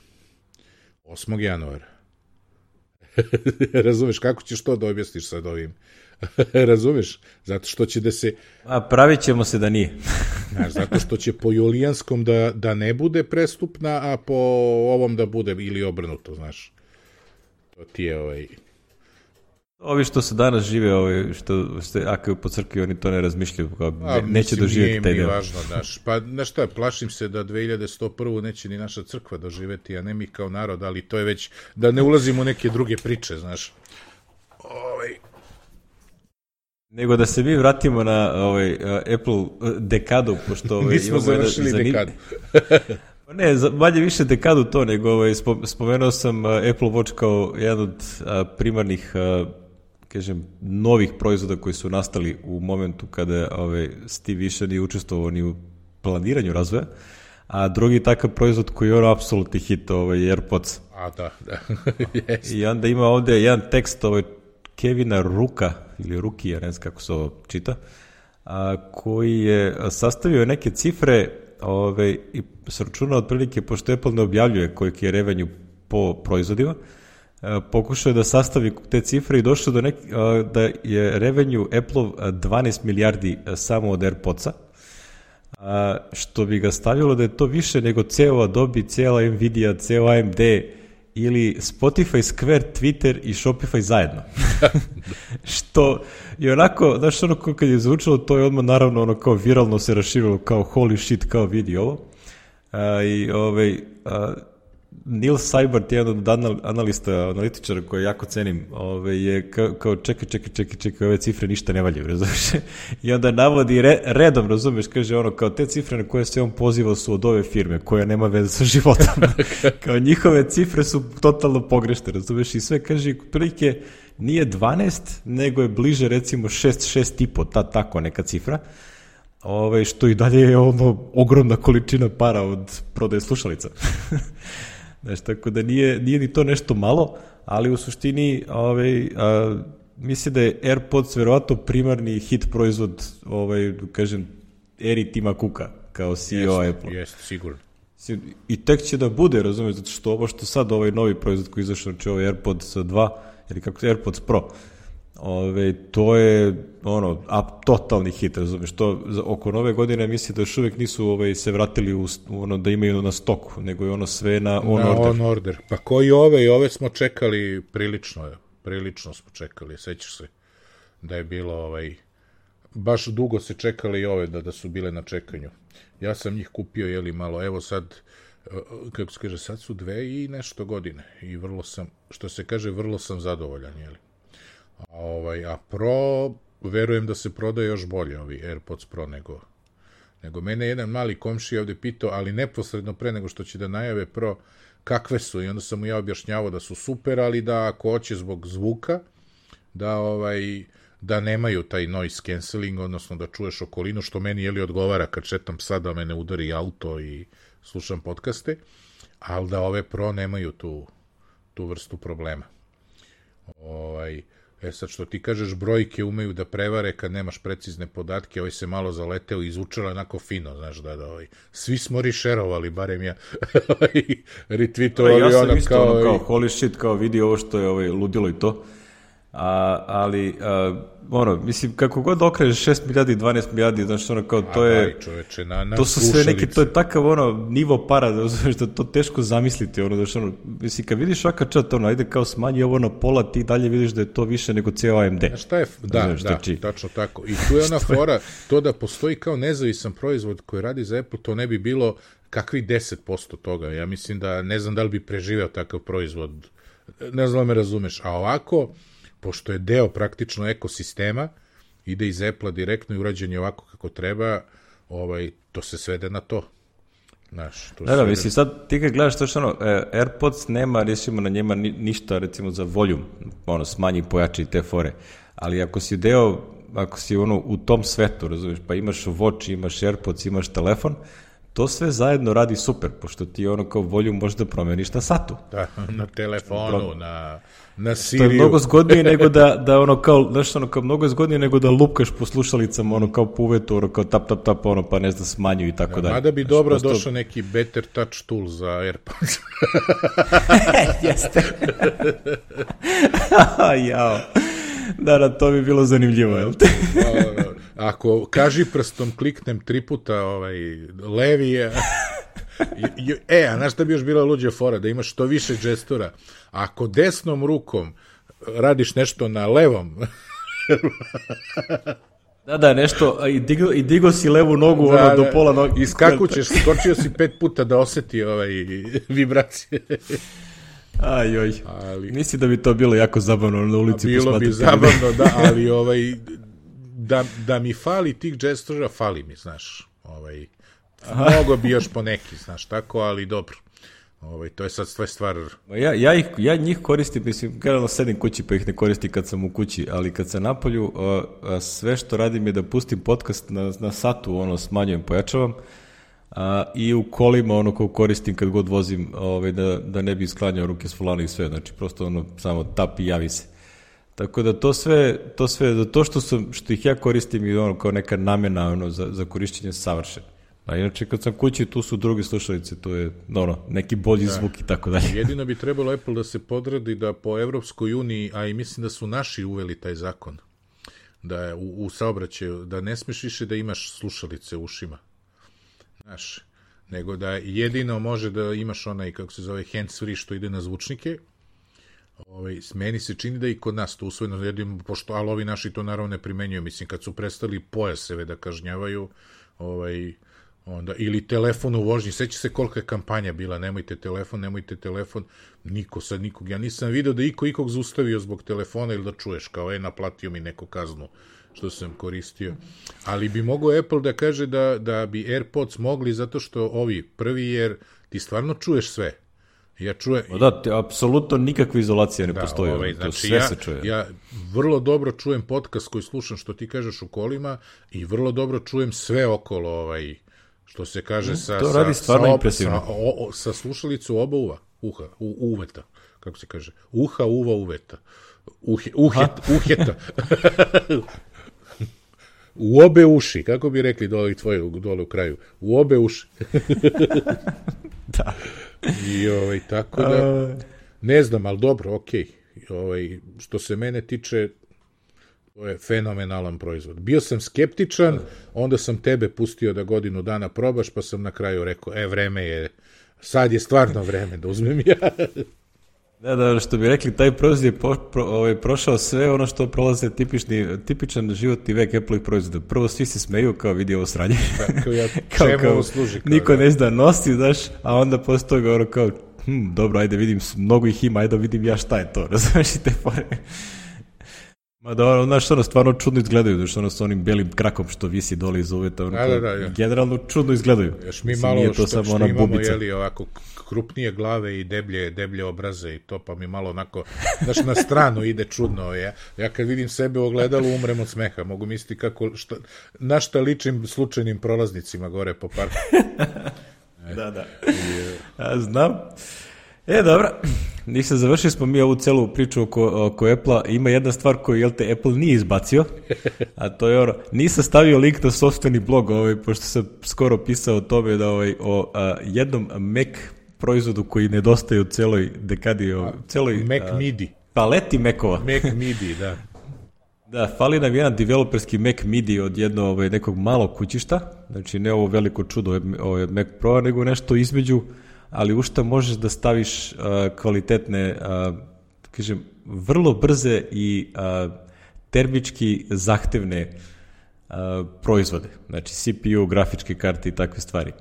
osmog januara. Razumeš, kako ćeš to da objasniš sad ovim? Razumeš? Zato što će da se... A pravit ćemo se da nije. Znaš, zato što će po julijanskom da, da ne bude prestupna, a po ovom da bude ili obrnuto, znaš. To ti je ovaj... Ovi što se danas žive, ovi što ste akaju po crkvi, oni to ne razmišljaju, kao ne, A, neće doživjeti taj deo. Nije mi važno, daš. Pa, znaš šta, plašim se da dve hiljade sto prve neće ni naša crkva doživjeti, a ne mi kao narod, ali to je već, da ne ulazimo u neke druge priče, znaš. Ovaj... Nego da se mi vratimo na ovaj, Apple dekadu, pošto... Ovaj, Nismo završili zanim... dekadu. Ne, manje više dekadu to, nego ovaj, spomenuo sam Apple Watch kao jedan od primarnih, kažem, novih proizvoda koji su nastali u momentu kada ovaj, Steve više nije učestvovao ni u planiranju razvoja, a drugi takav proizvod koji je ono apsolutni hit, ovaj, AirPods. A, da, da. Yes. I onda ima ovdje jedan tekst ovaj, Kevina Ruka, ili Rukija, ne znam kako se ovo čita, a, koji je sastavio neke cifre Ove, i se računa otprilike, pošto Apple ne objavljuje koliki je revenju po proizvodima, e, pokušao je da sastavi te cifre i došao do nek, e, da je revenju Apple dvanaest milijardi samo od AirPodsa, a, što bi ga stavilo da je to više nego ceo Adobe, cijela Nvidia, ceo A M D ili Spotify, Square, Twitter i Shopify zajedno. Što je onako, znaš, ono kad je zvučalo, to je odmah naravno ono kao viralno se raširilo kao holy shit, kao vidi ovo. A, i, ovaj, a, Neil Seibert, jedan od analista, analitičara koje jako cenim, ove, je kao, kao čekaj, čekaj, čekaj, čekaj, ove cifre ništa ne valjaju, razumiješ? I onda navodi re, redom, razumiješ, kaže ono, kao te cifre na koje se on pozivao su od ove firme, koja nema veze sa životom. Kao njihove cifre su totalno pogrešne, razumiješ? I sve kaže, prilike, nije dvanaest, nego je bliže recimo šest, šest i po, ta tako neka cifra. Ove, što i dalje je ono ogromna količina para od prodaje slušalica. Znaš, tako da nije, nije ni to nešto malo, ali u suštini ove, a, mislim da je AirPods verovatno primarni hit proizvod, ovaj, kažem, eri Tima Cooka kao C E O Apple. Jeste, sigurno. I tek će da bude, razumiješ, zato što ovo što sad ovaj novi proizvod koji izašao, znači ovaj AirPods dva, ili kako je AirPods Pro, ove, to je ono, a, totalni hit, razumiješ, to oko nove godine mislim da još uvijek nisu ove, se vratili u, ono, da imaju na stoku, nego je ono sve na on na order. On order. Pa koji ove, i ove smo čekali prilično, prilično smo čekali, sećaš se da je bilo ovaj, baš dugo se čekali i ove da, da su bile na čekanju. Ja sam njih kupio, jeli malo, evo sad, kako se kaže, sad su dve i nešto godine i vrlo sam, što se kaže, vrlo sam zadovoljan, jeli. A, ovaj, a Pro, verujem da se prodaje još bolje, ovi AirPods Pro nego, nego mene jedan mali komšija ovde pitao, ali neposredno pre nego što će da najave Pro, kakve su, i onda sam mu ja objašnjavao da su super, ali da ako hoće zbog zvuka, da ovaj, da nemaju taj noise cancelling, odnosno da čuješ okolinu, što meni jeli odgovara kad šetam psa da me ne udari auto i slušam podcaste, ali da ove Pro nemaju tu, tu vrstu problema. Ovaj, e sad što ti kažeš, brojke umeju da prevare kad nemaš precizne podatke, ovaj se malo zaleteo i izvučala onako fino, znaš, da, da, ovaj, svi smo rišerovali, barem ja, retweetovali ja sam ono isto kao, ono, kao holy shit, kao vidi ovo što je ovaj, ludilo i to, a, ali, a, ono, mislim, kako god okrežeš šest milijardi i dvanaest milijardi, znaš, ono, kao, to je, a, čoveče, na, na to su sve neki, to je takav, ono, nivo para, da, znaš, da to teško zamisliti, ono, znaš, ono, mislim, kad vidiš ovakav čat, ono, ajde kao smanji ovo na pola, ti dalje vidiš da je to više nego cijel A M D. Znaš šta je, da, znaš, da, či... tačno tako, i tu je ona fora, to da postoji kao nezavisan proizvod koji radi za Apple, to ne bi bilo kakvih deset posto toga, ja mislim da, ne znam da li bi preživeo takav proizvod, ne znam da me razumeš, a ovako, pošto je deo praktično ekosistema, ide iz Apple-a direktno i urađen je ovako kako treba, ovaj, to se svede na to. Znaš, to da, da, svede... mislim, sad ti kad gledaš to što ono, AirPods nema, recimo, na njema ni, ništa, recimo, za volume, ono, smanji, pojači te fore, ali ako si deo, ako si ono, u tom svetu, razumiješ, pa imaš Watch, imaš AirPods, imaš telefon, to sve zajedno radi super, pošto ti ono kao volju možda promeniš na satu. Da, na telefonu, Pro... na, na Siriju. To je mnogo zgodnije nego da, da ono kao, znaš, ono kao mnogo zgodnije nego da lupkaš po slušalicama, ono kao po uvetu, ono kao tap, tap, tap, ono pa ne znam, smanju i tako da, dalje. Mada bi znaš, dobro prosto... došao neki better touch tool za AirPods. Jeste. Jao. Da, da, to bi bilo zanimljivo, jel te? Ako kaži prstom kliknem tri puta ovaj, levi je... E, a znaš šta bi još bila luđa fora? Da imaš što više džestora. Ako desnom rukom radiš nešto na levom... Da, da, nešto, i digo, i digo si levu nogu, da, ono, do pola nogu. Iskakućeš, skočio si pet puta da oseti ovaj, vibracije. Aj, oj, ali... Misli da bi to bilo jako zabavno na ulici. Bilo bi zabavno, da, ali ovaj... Da, da mi fali tih džestora, fali mi, znaš, ovaj, mnogo bi još po neki, znaš, tako, ali dobro, ovaj, to je sad sve stvar. Ja, ja, ih, ja njih koristim, mislim, generalno sedim kući pa ih ne koristim kad sam u kući, ali kad sam napolju, a, a sve što radim je da pustim podcast na, na satu, ono, smanjujem, pojačavam, a, i u kolima, ono, ko koristim kad god vozim, ovaj, da, da ne bi sklanjao ruke s volana i sve, znači, prosto, ono, samo tap i javi se. Tako da to sve, to sve, za to što, sam, što ih ja koristim i ono kao neka namjena ono, za, za korišćenje savršen. A inače kad sam kući, tu su druge slušalice, to je ono, neki bolji da. Zvuk i tako dalje. Jedino bi trebalo Apple da se podradi da po Evropskoj uniji, a i mislim da su naši uveli taj zakon, da je u, u saobraćaju, da ne smiješ više da imaš slušalice u ušima. Znaš, nego da jedino može da imaš onaj, kako se zove, hands free što ide na zvučnike. Ovaj, meni se čini da i kod nas to usvojeno, jedino, pošto, ali ovi naši to naravno ne primenjuju, mislim, kad su prestali pojaseve da kažnjavaju, ovaj, Onda, ili telefon u vožnji, seća se kolika je kampanja bila, nemojte telefon, nemojte telefon, niko sad nikog, ja nisam video da iko ikog zaustavio zbog telefona ili da čuješ kao, e, naplatio mi neku kaznu što sam koristio, ali bi mogao Apple da kaže da, da bi AirPods mogli zato što ovi prvi, jer ti stvarno čuješ sve. Ja čujem... Da, te, apsolutno nikakva izolacija ne da, postoji, ovaj, to znači, sve ja, se čuje. Ja vrlo dobro čujem podcast koji slušam što ti kažeš u kolima i vrlo dobro čujem sve okolo, ovaj, što se kaže sa, to radi sa, stvarno sa, impresivno. Sa, o, o, sa slušalicu oba uva, uha, u, uveta, kako se kaže, uha, uva, uveta, Uhe, uhet, uheta. U obe uši, kako bi rekli dole tvoje, dole u kraju, u obe uši. Da. I ovaj, tako da, ne znam, ali dobro, okej. Okay. Ovaj, što se mene tiče, to je fenomenalan proizvod. Bio sam skeptičan, onda sam tebe pustio da godinu dana probaš, pa sam na kraju rekao, e, vreme je, sad je stvarno vreme da uzmem ja. Da, da, što bi rekli, taj proizvod je po, pro, ovaj, prošao sve ono što prolaze tipični, tipičan životni vek Apple-ih proizvoda. Prvo svi se smeju kao vidi ovo sranje. Tako ja, kao, čemu kao, ovo služi? Kao, niko da. ne zna nosi, znaš, a onda posle toga ono kao, hm, dobro, ajde vidim, mnogo ih ima, ajde vidim ja šta je to, razumiješ i te fore. Ma da, ono, znaš, ono, stvarno čudno izgledaju, znaš, ono, s onim belim krakom što visi dole iz uveta, ono, da, da, da, ja. generalno čudno izgledaju. Još mi malo što, što, što imamo, jeli, ovako, krupnije glave i deblje, deblje obraze i to, pa mi malo onako, znaš, na stranu ide čudno. Ja, ja kad vidim sebe u ogledalu, umrem od smeha. Mogu misliti kako, šta, na šta ličim slučajnim prolaznicima gore po parku. Da, da. Ja znam. E, dobro, nisam završili smo mi ovu celu priču oko, oko Apple-a. Ima jedna stvar koju, jel te, Apple nije izbacio, a to je ono, nisam stavio link na sopstveni blog, ovaj, pošto sam skoro pisao o tome da ovaj, o a, jednom Mac proizvodu koji nedostaje u celoj dekadi, o celoj Mac a, Midi. paleti Mac-ova. Mac Midi, da. Da, fali nam jedan developerski Mac Midi od jednog ovaj, nekog malog kućišta, znači ne ovo veliko čudo ovaj, Mac Pro, nego nešto između, ali u šta možeš da staviš uh, kvalitetne, uh, kažem, vrlo brze i uh, termički zahtevne uh, proizvode, znači C P U, grafičke karte i takve stvari.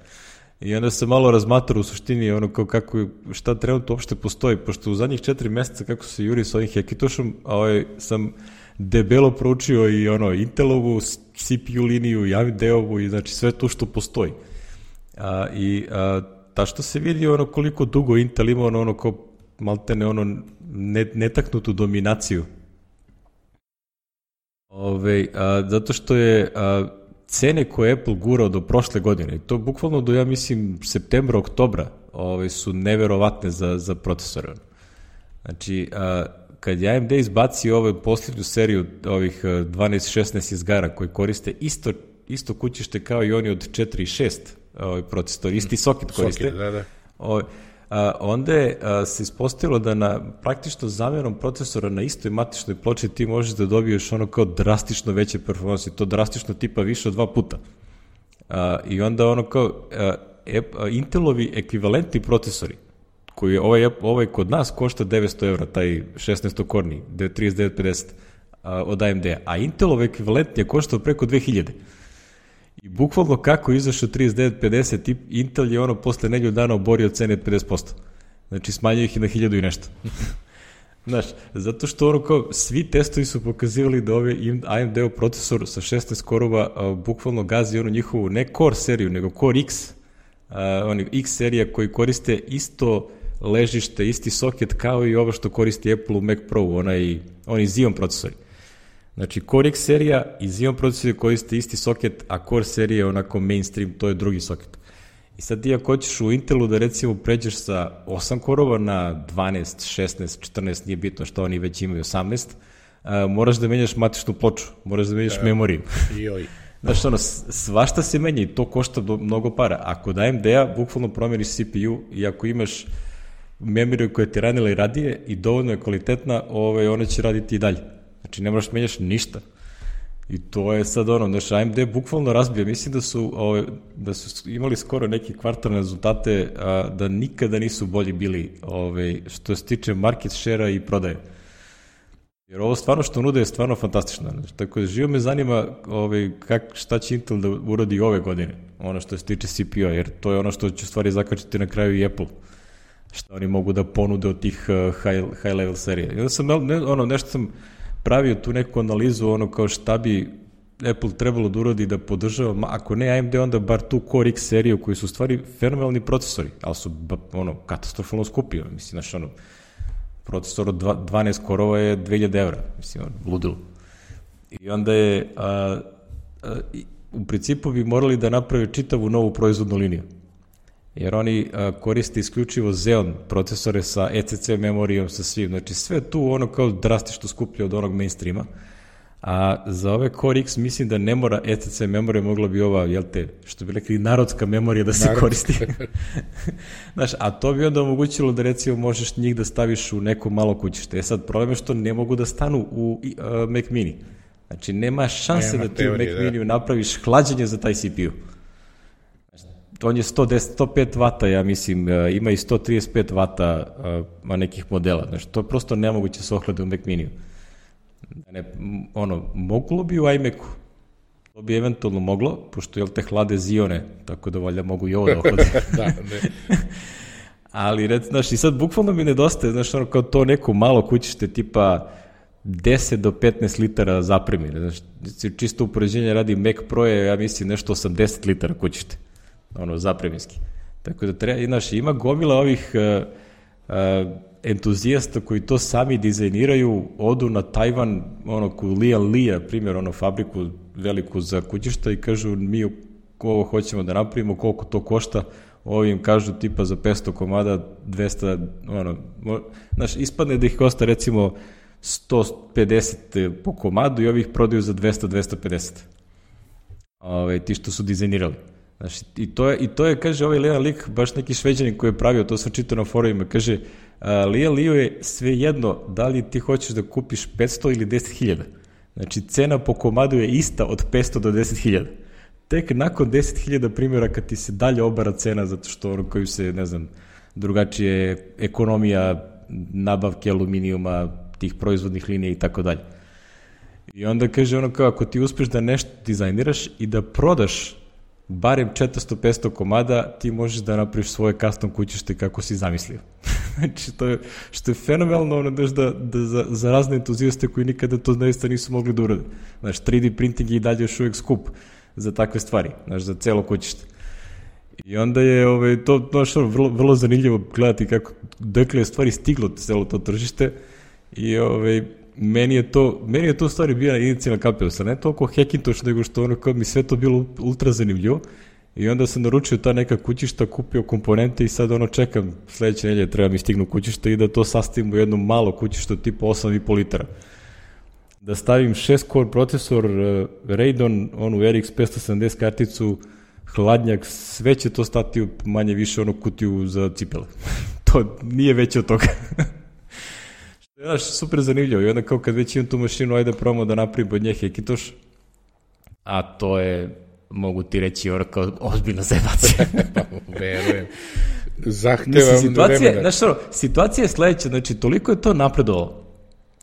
I onda sam malo razmatrao u suštini ono kao kako, šta trenutno uopšte postoji, pošto u zadnjih četiri meseca kako se juri s ovim Hackintoshom, ovaj, sam debelo proučio i ono Intelovu C P U liniju i A M D-ovu i znači sve to što postoji. Uh, I uh, ta što se vidi ono koliko dugo Intel ima ono, ono kao maltene ono netaknutu dominaciju. Ove, a, zato što je a, cene koje Apple gurao do prošle godine, i to bukvalno do, ja mislim, septembra, oktobra, ove, su neverovatne za, za procesore. Znači, a, kad je A M D izbacio ovu posljednju seriju ovih dvanaest šesnaest izgara koji koriste isto, isto kućište kao i oni od četiri i šest ovaj procesor, isti soket koriste. Soket, da, da. O, a, onda je a, se ispostavilo da na praktično zamjenom procesora na istoj matičnoj ploči ti možeš da dobiješ ono kao drastično veće performanse, to drastično tipa više od dva puta. A, I onda ono kao a, a, Intelovi ekvivalentni procesori, koji je ovaj, ovaj kod nas košta devetsto evra, taj šesnaestokorni, trideset devet pedeset a, od A M D-a, a Intelov ekvivalent je koštao preko dve hiljade. I bukvalno kako je izašao trideset devet pedeset, Intel je ono posle nedelju dana oborio cene pedeset posto. Znači smanjio ih i na hiljadu i nešto. Znaš, zato što ono kao svi testovi su pokazivali da ovaj A M D-ov procesor sa šesnaest korova a, bukvalno gazi ono njihovu ne Core seriju, nego Core X, a, oni X serija koji koriste isto ležište, isti soket kao i ovo što koristi Apple u Mac Pro, onaj, oni Xeon procesori. Znači, Core X serija i Xeon procesori koriste isti soket, a Core serija je onako mainstream, to je drugi soket. I sad ti ako hoćeš u Intelu da recimo pređeš sa osam korova na dvanaest, šesnaest, četrnaest, nije bitno što oni već imaju osamnaest, a, moraš da menjaš matičnu ploču, moraš da menjaš da, memoriju. Joj. Znaš, ono, svašta se menja i to košta mnogo para. Ako da A M D-a, bukvalno promjeniš C P U i ako imaš memoriju koja ti ranila i radije i dovoljno je kvalitetna, ovaj, ona će raditi i dalje. Znači, ne moraš menjaš ništa. I to je sad ono, znaš, A M D bukvalno razbija. Mislim da su, ove, da su imali skoro neke kvartalne rezultate, a, da nikada nisu bolji bili ove, što se tiče market share-a i prodaje. Jer ovo stvarno što nude je stvarno fantastično. Znači, tako da živo me zanima ove, kak, šta će Intel da uradi ove godine. ono što se tiče C P U-a, jer to je ono što će stvari zakačiti na kraju i Apple, što oni mogu da ponude od tih uh, high, high level serija. I onda sam, ne, ono, nešto sam pravio tu neku analizu, ono kao šta bi Apple trebalo da uradi da podržava, ako ne A M D, onda bar tu Core X seriju koji su u stvari fenomenalni procesori, ali su ono, katastrofalno skupi, mislim, znaš, ono, procesor od dvanaest korova je dve hiljade evra, mislim, ono, ludilo. I onda je, a, a, u principu bi morali da naprave čitavu novu proizvodnu liniju, jer oni a, koriste isključivo Xeon procesore sa E C C memorijom, sa svim, znači sve tu ono kao drastično skuplje od onog mainstreama, a za ove Core X mislim da ne mora E C C memorija, mogla bi ova, jel te, što bi rekli, narodska memorija da se Narodska. koristi. Znaš, a to bi onda omogućilo da recimo možeš njih da staviš u neko malo kućište. E sad, problem je što ne mogu da stanu u uh, Mac Mini. Znači, nema šanse nema da ti u Mac da. Miniju napraviš hlađenje za taj C P U. On je sto deset, sto pet vata, ja mislim, uh, ima i sto trideset pet vata uh, nekih modela. Znači, to je prosto nemoguće se ohlade u Mac Miniju. Ne, ono, moglo bi u iMacu, to bi eventualno moglo, pošto, jel te, hlade Zione, tako da valjda mogu i ovo da ohlade. da, ne. Ali, red, znaš, i sad bukvalno mi nedostaje, znaš, ono, kao to neko malo kućište, tipa deset do petnaest litara zapremi, znaš, čisto upoređenje radi Mac Pro je, ja mislim, nešto osamdeset litara kućište, ono, zapreminski. Tako da, treba, znaš, ima gomila ovih uh, uh, entuzijasta koji to sami dizajniraju, odu na Tajvan, ono, ku Lian Lija, primjer, ono, fabriku veliku za kućišta i kažu, mi ovo hoćemo da napravimo, koliko to košta, ovim kažu tipa za petsto komada, dvesta, ono, znaš, ispadne da ih košta recimo sto pedeset po komadu i ovih prodaju za dvesta do dvesta pedeset. Ove, ti što su dizajnirali. Znaš, i to je, i to je, kaže, ovaj Lian lik, baš neki Šveđanin koji je pravio, to sam čitao na forumima, kaže, Lian Liu je sve jedno da li ti hoćeš da kupiš petsto ili deset hiljada. Znači, cena po komadu je ista od petsto do deset hiljada. Tek nakon deset hiljada primjera kad ti se dalje obara cena, zato što ono koju se, ne znam, drugačije ekonomija nabavke aluminijuma, tih proizvodnih linija i tako dalje. I onda kaže ono kao, ako ti uspeš da nešto dizajniraš i da prodaš barem četiristo do petsto komada, ti možeš da napraviš svoje custom kućište kako si zamislio. Znači, to je, što je fenomenalno, ono, da, da za, za razne entuzijaste koji nikada to zaista nisu mogli da urade. Znači, tri D printing je i dalje još uvijek skup za takve stvari, znači, za celo kućište. I onda je ovaj, to, to što, vrlo, vrlo zanimljivo gledati kako, dokle je stvari stiglo celo to tržište i ovaj, meni je to, meni je to stvari bila inicijalna kapela, ne toliko Hackintosh, nego što ono kao mi sve to bilo ultra zanimljivo i onda sam naručio ta neka kućišta, kupio komponente i sad ono čekam sledeće nedelje treba mi stignu kućišta i da to sastavim u jedno malo kućište tipa osam i po litara. Da stavim šest core procesor, uh, Radeon, onu R X petsto sedamdeset karticu, hladnjak, sve će to stati u manje više onu kutiju za cipele. To nije veće od toga. Što je naš super zanimljivo i onda kao kad već imam tu mašinu, ajde probamo da napravim od nje Hackintosh, a to je, mogu ti reći, ono kao ozbiljna zebacija. Verujem. Zahtevam vremena. Znaš što, situacija je sledeća, znači toliko je to napredovalo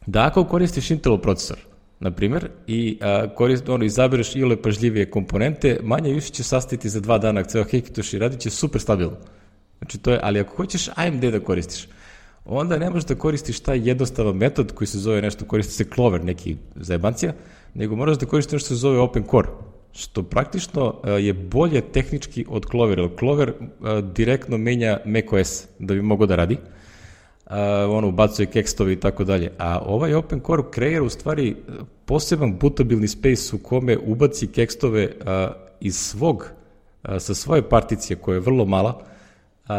da ako koristiš Intelov procesor, na primjer, i a, korist, ono, izabereš ile pažljivije komponente, manje više će sastaviti za dva dana ceo Hackintosh i radit će super stabilno. Znači to je, ali ako hoćeš A M D da koristiš, onda ne možeš da koristiš taj jednostavan metod koji se zove nešto, koristi se Clover, neki zajebancija, nego moraš da koristiš nešto se zove Open Core, što praktično a, je bolje tehnički od Clover, jer Clover a, direktno menja macOS da bi mogao da radi, Uh, ono, ubacuje kekstove i tako dalje. A ovaj Open Core kreira u stvari poseban bootabilni space u kome ubaci kekstove uh, iz svog, uh, sa svoje particije koja je vrlo mala uh,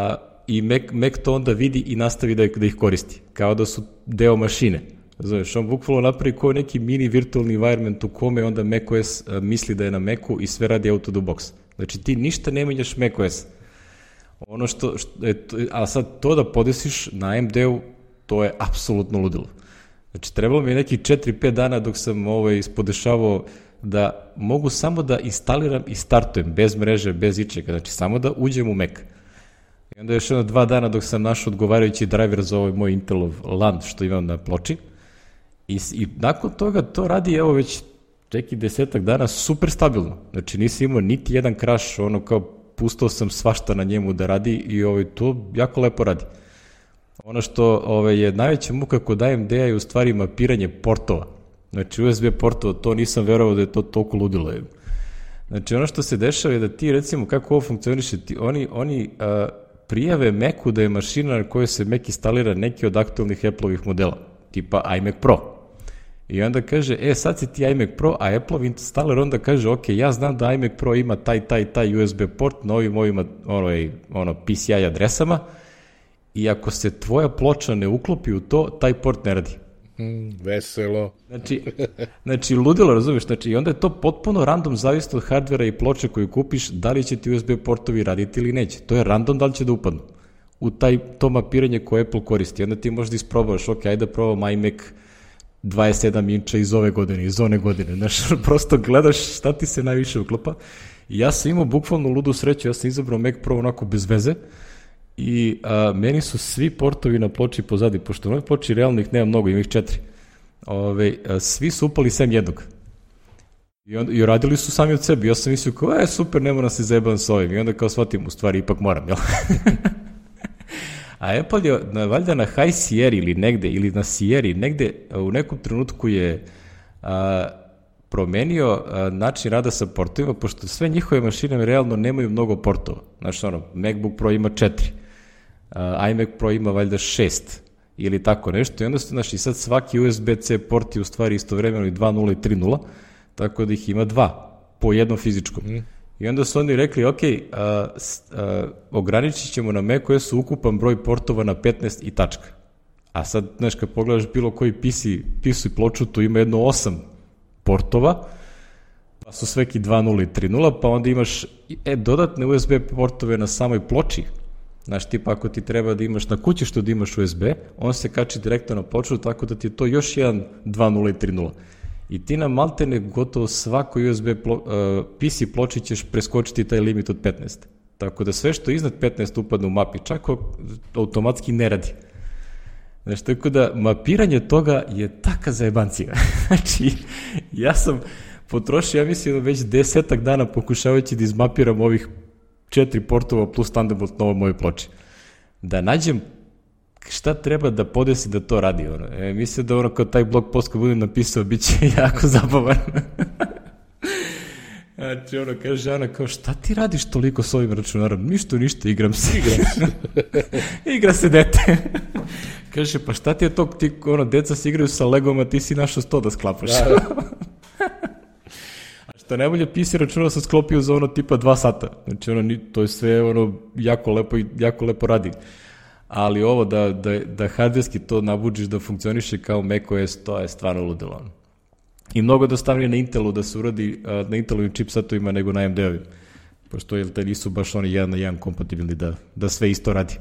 i Mac, Mac to onda vidi i nastavi da, da ih koristi, kao da su deo mašine. Znaš, on bukvalno napravi kao neki mini virtualni environment u kome onda macOS uh, misli da je na Macu i sve radi out of the box. Znači ti ništa ne menjaš macOS. Ono što, što je, a sad to da podesiš na A M D-u, to je apsolutno ludilo. Znači, trebalo mi je neki četiri pet dana dok sam ovaj, ispodešavao da mogu samo da instaliram i startujem, bez mreže, bez ičega, znači samo da uđem u Mac. I onda još jedno dva dana dok sam našao odgovarajući driver za ovaj moj Intelov LAN što imam na ploči. I, i nakon toga to radi, evo već čeki desetak dana super stabilno. Znači nisi imao niti jedan crash, ono kao pustao sam svašta na njemu da radi i ovaj, to jako lepo radi. Ono što ovaj, je najveća muka kod A M D-a je u stvari mapiranje portova. Znači U S B portova, to nisam verovao da je to toliko ludilo. Znači ono što se dešava je da ti recimo kako ovo funkcioniše, ti, oni, oni a, prijave Macu da je mašina na kojoj se Mac instalira neki od aktualnih Apple-ovih modela, tipa iMac Pro. I onda kaže, e sad si ti iMac Pro, a Apple-ov installer onda kaže, ok, ja znam da iMac Pro ima taj, taj, taj U S B port na ovim ovima ono, ono, P C I adresama i ako se tvoja ploča ne uklopi u to, taj port ne radi. Mm, veselo. Znači, znači, ludilo, razumiješ, znači, i onda je to potpuno random, zavisno od hardvera i ploče koju kupiš, da li će ti U S B portovi raditi ili neće. To je random da li će da upadnu u taj, to mapiranje koje Apple koristi. Onda ti možda isprobaš, ok, ajde da probam iMac dvadeset sedam inča iz ove godine, iz one godine, znaš, prosto gledaš šta ti se najviše uklopa. I ja sam imao bukvalno ludu sreću, ja sam izabrao Mac Pro onako bez veze, i a, meni su svi portovi na ploči pozadi, pošto na ovoj ploči realno ih nema mnogo, ima ih četiri. Ove, a, svi su upali sem jednog. I, onda, i radili su sami od sebi. Ja sam mislio kao, e, super, ne moram se zajebavam s ovim. I onda kao shvatim, u stvari, ipak moram, jel? A Apple je na, valjda na High Sierra ili negde, ili na Sierra, negde u nekom trenutku je a, promenio a, način rada sa portovima, pošto sve njihove mašine realno nemaju mnogo portova. Znači, ono, MacBook Pro ima četiri. Uh, iMac Pro ima valjda šest ili tako nešto i onda su, znači, sad svaki U S B C port je u stvari istovremeno i dva nula i tri nula, tako da ih ima dva po jednom fizičkom. Mm. I onda su oni rekli, ok, uh, uh, ograničit ćemo na macOS ukupan broj portova na petnaest i tačka. A sad, znaš, kad pogledaš bilo koji P C, P C ploču, tu ima jedno osam portova, pa su sveki dva nula i tri nula, pa onda imaš e, dodatne U S B portove na samoj ploči. Znaš, tipa ako ti treba da imaš na kući što da imaš U S B, on se kači direktno na ploču, tako da ti je to još jedan dva nula i tri nula. I ti na maltene gotovo svakoj U S B plo, uh, P C ploči ćeš preskočiti taj limit od petnaest. Tako da sve što iznad petnaest upadne u mapi, čak automatski ne radi. Znaš, tako da mapiranje toga je taka zajebancija. Znači, ja sam potrošio, ja mislim, već desetak dana pokušavajući da izmapiram ovih četiri portova plus Thunderbolt na ovoj mojoj ploči. Da nađem šta treba da podesi da to radi. Ono. E, mislim da ono kao taj blog post kad budem napisao bit će jako zabavan. Znači ono kaže Ana kao šta ti radiš toliko s ovim računarom? Ništa, ništa, igram se. Igram se. Igra se dete. Kaže pa šta ti je to, ti ono, deca se igraju sa Legom, a ti si našao sto da sklapaš. Da, da. Što najbolje P C računao sam sklopio za ono tipa dva sata. Znači ono, to je sve ono jako lepo, jako lepo radi. Ali ovo da, da, da hardverski to nabuđiš da funkcioniše kao macOS, to je stvarno ludilo. I mnogo jednostavnije na Intelu da se uradi na Intelovim chipsetovima nego na A M D-ovim. Pošto jel, te nisu baš oni jedan na jedan kompatibilni da, da sve isto radi.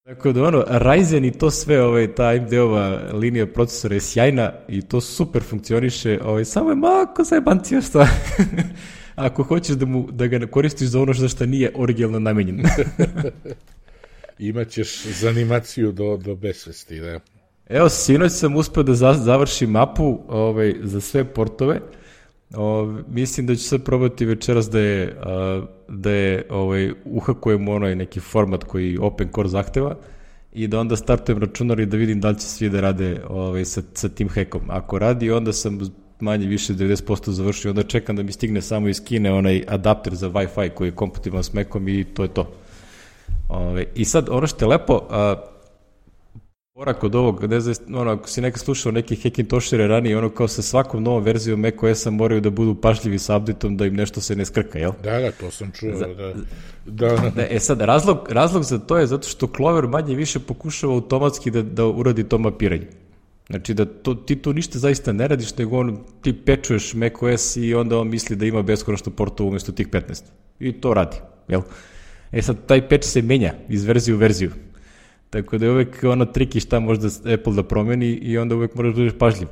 Tako da ono, Ryzen i to sve, ovaj, ta A M D-ova linija procesora je sjajna i to super funkcioniše, ovaj, samo je mako zajebancija što ako hoćeš da, mu, da ga koristiš za ono što nije originalno namenjen. Imaćeš za animaciju do, do besvesti, da. Evo, sinoć sam uspeo da završim mapu ovaj, za sve portove. O, mislim da ću sad probati večeras da je, a, da je ovaj, uhakujemo onaj neki format koji Open Core zahteva i da onda startujem računar i da vidim da li će svi da rade ovaj, sa, sa tim hackom. Ako radi, onda sam manje više devedeset posto završio, onda čekam da mi stigne samo iz Kine onaj adapter za Wi-Fi koji je kompatibilan s Macom i to je to. Ove, I sad, ono što je lepo, a, porak od ovog, ne znam, ono, ako si nekad slušao neke Hackintoshire ranije, ono kao sa svakom novom verzijom macOS-a moraju da budu pažljivi sa updateom da im nešto se ne skrka, jel? Da, da, to sam čuo, za, da. da. da. E sad, razlog, razlog za to je zato što Clover manje više pokušava automatski da, da uradi to mapiranje. Znači da to, ti to ništa zaista ne radiš, nego on, ti pečuješ macOS i onda on misli da ima beskonačno portova umjesto tih petnaest. I to radi, jel? E sad, taj patch se menja iz verzije u verziju. Tako da je uvek ono triki šta možda Apple da promeni i onda uvek moraš da budeš pažljiv.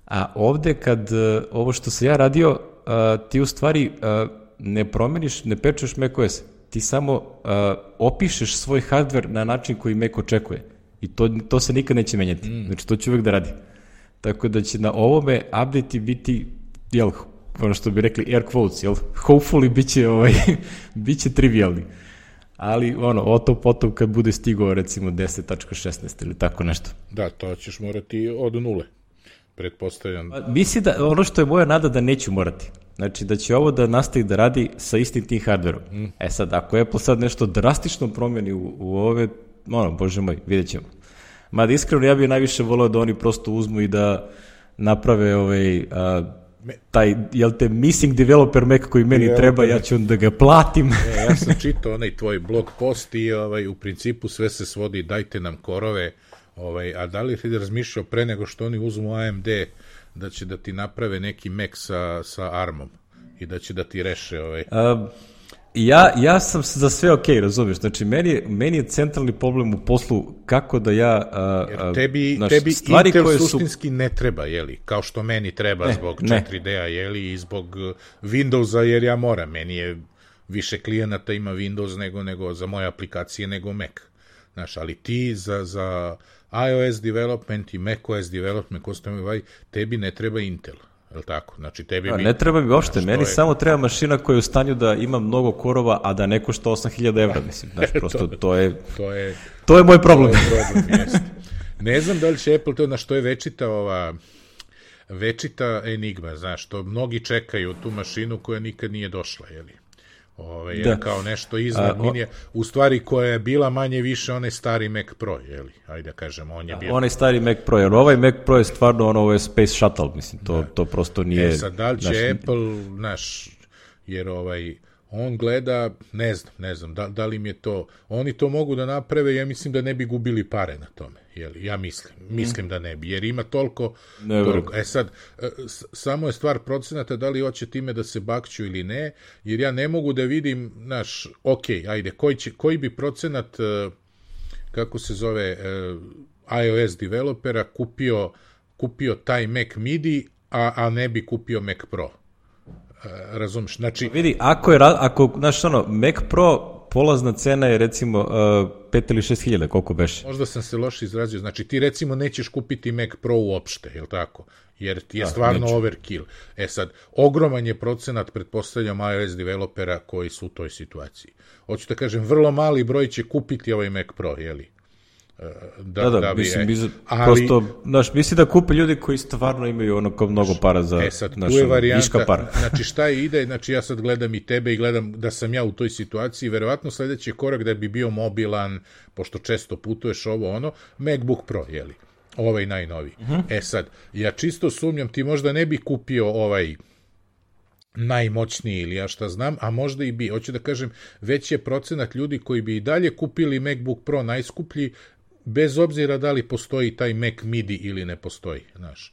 A ovde kad uh, ovo što sam ja radio, uh, ti u stvari uh, ne promeniš, ne pečuješ macOS. Ti samo uh, opišeš svoj hardware na način koji Mac očekuje. I to, to se nikad neće menjati. Mm. Znači, to će uvek da radi. Tako da će na ovome update-i biti jel, ono što bi rekli air quotes, jel, hopefully bit će, ovaj, bit će trivialni. Ali, ono, o to potom kad bude stigao, recimo, deset tačka šesnaest ili tako nešto. Da, to ćeš morati od nule, pretpostavljam. Misli da, ono što je moja nada da neću morati. Znači, da će ovo da nastavi da radi sa istim tim hardverom. Mm. E sad, ako Apple sad nešto drastično promeni u, u ove, ono, bože moj, vidjet ćemo. Mada iskreno, ja bih najviše volao da oni prosto uzmu i da naprave ovaj... A, taj, jel te, missing developer Mac koji meni developer treba, ja ću onda ga platim. E, ja sam čitao onaj tvoj blog post i ovaj, u principu sve se svodi, dajte nam korove, ovaj, a da li ti razmišljao pre nego što oni uzmu A M D da će da ti naprave neki Mac sa, sa ARM-om i da će da ti reše ovaj... A, ja, ja sam za sve ok, razumiješ, znači meni, meni je centralni problem u poslu kako da ja... A, Jer tebi, naš, tebi Intel suštinski su... ne treba, jeli, kao što meni treba ne, zbog ne. četiri D-a, jeli, i zbog Windowsa, jer ja moram, meni je više klijenata ima Windows nego, nego za moje aplikacije nego Mac. Znaš, ali ti za, za iOS development i macOS development, tebi ne treba Intel. Jel tako? Znači, tebi mi... Ne treba mi uopšte, meni je... samo treba mašina koja je u stanju da ima mnogo korova, a da ne košta osam hiljada evra, mislim. Znači, prosto to, to je... To je, to je moj problem. To je problem, jeste. Ne znam da li će Apple to, na što je večita ova... večita enigma, znaš, to mnogi čekaju tu mašinu koja nikad nije došla, jeli? Ove, je kao nešto iznad a, minija, u stvari koja je bila manje više onaj stari Mac Pro, jeli, ajde da kažemo, on je bio... Onaj stari Mac Pro, jer ovaj Mac Pro je stvarno ono, ovo je Space Shuttle, mislim, to, to prosto nije... E sad, da li će naš... Apple, naš, jer ovaj, on gleda, ne znam, ne znam, da, da li mi je to, oni to mogu da naprave, ja mislim da ne bi gubili pare na tome, jeli, ja mislim, mislim mm. da ne bi, jer ima toliko, toliko. E sad, s, samo je stvar procenata da li hoće time da se bakću ili ne, jer ja ne mogu da vidim, naš, ok, ajde, koji, će, koji bi procenat, kako se zove, iOS developera kupio, kupio taj Mac midi, a, a ne bi kupio Mac Pro. Razumiješ, znači... Vidi, ako je, ako, znaš ono, Mac Pro polazna cena je recimo uh, pet ili šest hiljada, koliko beše? Možda sam se loše izrazio, znači ti recimo nećeš kupiti Mac Pro uopšte, je li tako? Jer ti je da, stvarno neću. Overkill. E sad, ogroman je procenat, pretpostavljam, iOS developera koji su u toj situaciji. Hoću da kažem, vrlo mali broj će kupiti ovaj Mac Pro, je li? Da, da, da, da bi, mislim, je, ali, prosto, znaš, misli da kupe ljudi koji stvarno imaju ono kao mnogo para za, e sad, naš, tu je varijanta, viška para. Znači, šta ide, znači ja sad gledam i tebe i gledam da sam ja u toj situaciji, verovatno sledeći korak da bi bio mobilan, pošto često putuješ ovo ono, MacBook Pro, jeli, ovaj najnoviji. Uh-huh. E sad, ja čisto sumnjam, ti možda ne bi kupio ovaj najmoćniji ili ja šta znam, a možda i bi, hoću da kažem, već je procenat ljudi koji bi i dalje kupili MacBook Pro najskuplji, bez obzira da li postoji taj Mac midi ili ne postoji, znaš.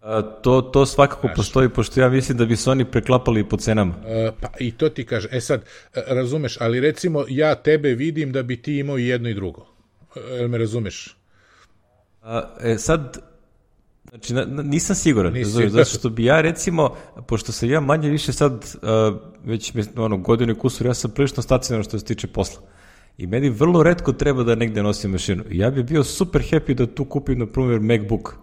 A, to, to svakako znaš, postoji, pošto ja mislim da bi se oni preklapali po cenama. A, pa i to ti kaže. E sad, razumeš, ali recimo ja tebe vidim da bi ti imao i jedno i drugo. Jel me razumeš? A, e sad, znači, na, nisam siguran, razumeš, zato što bi ja recimo, pošto sam ja manje više sad, uh, već ono, godinu i kusur, ja sam prilično stacionarno što se tiče posla. I meni vrlo retko treba da negde nosim mašinu. Ja bih bio super happy da tu kupim, na primjer, MacBook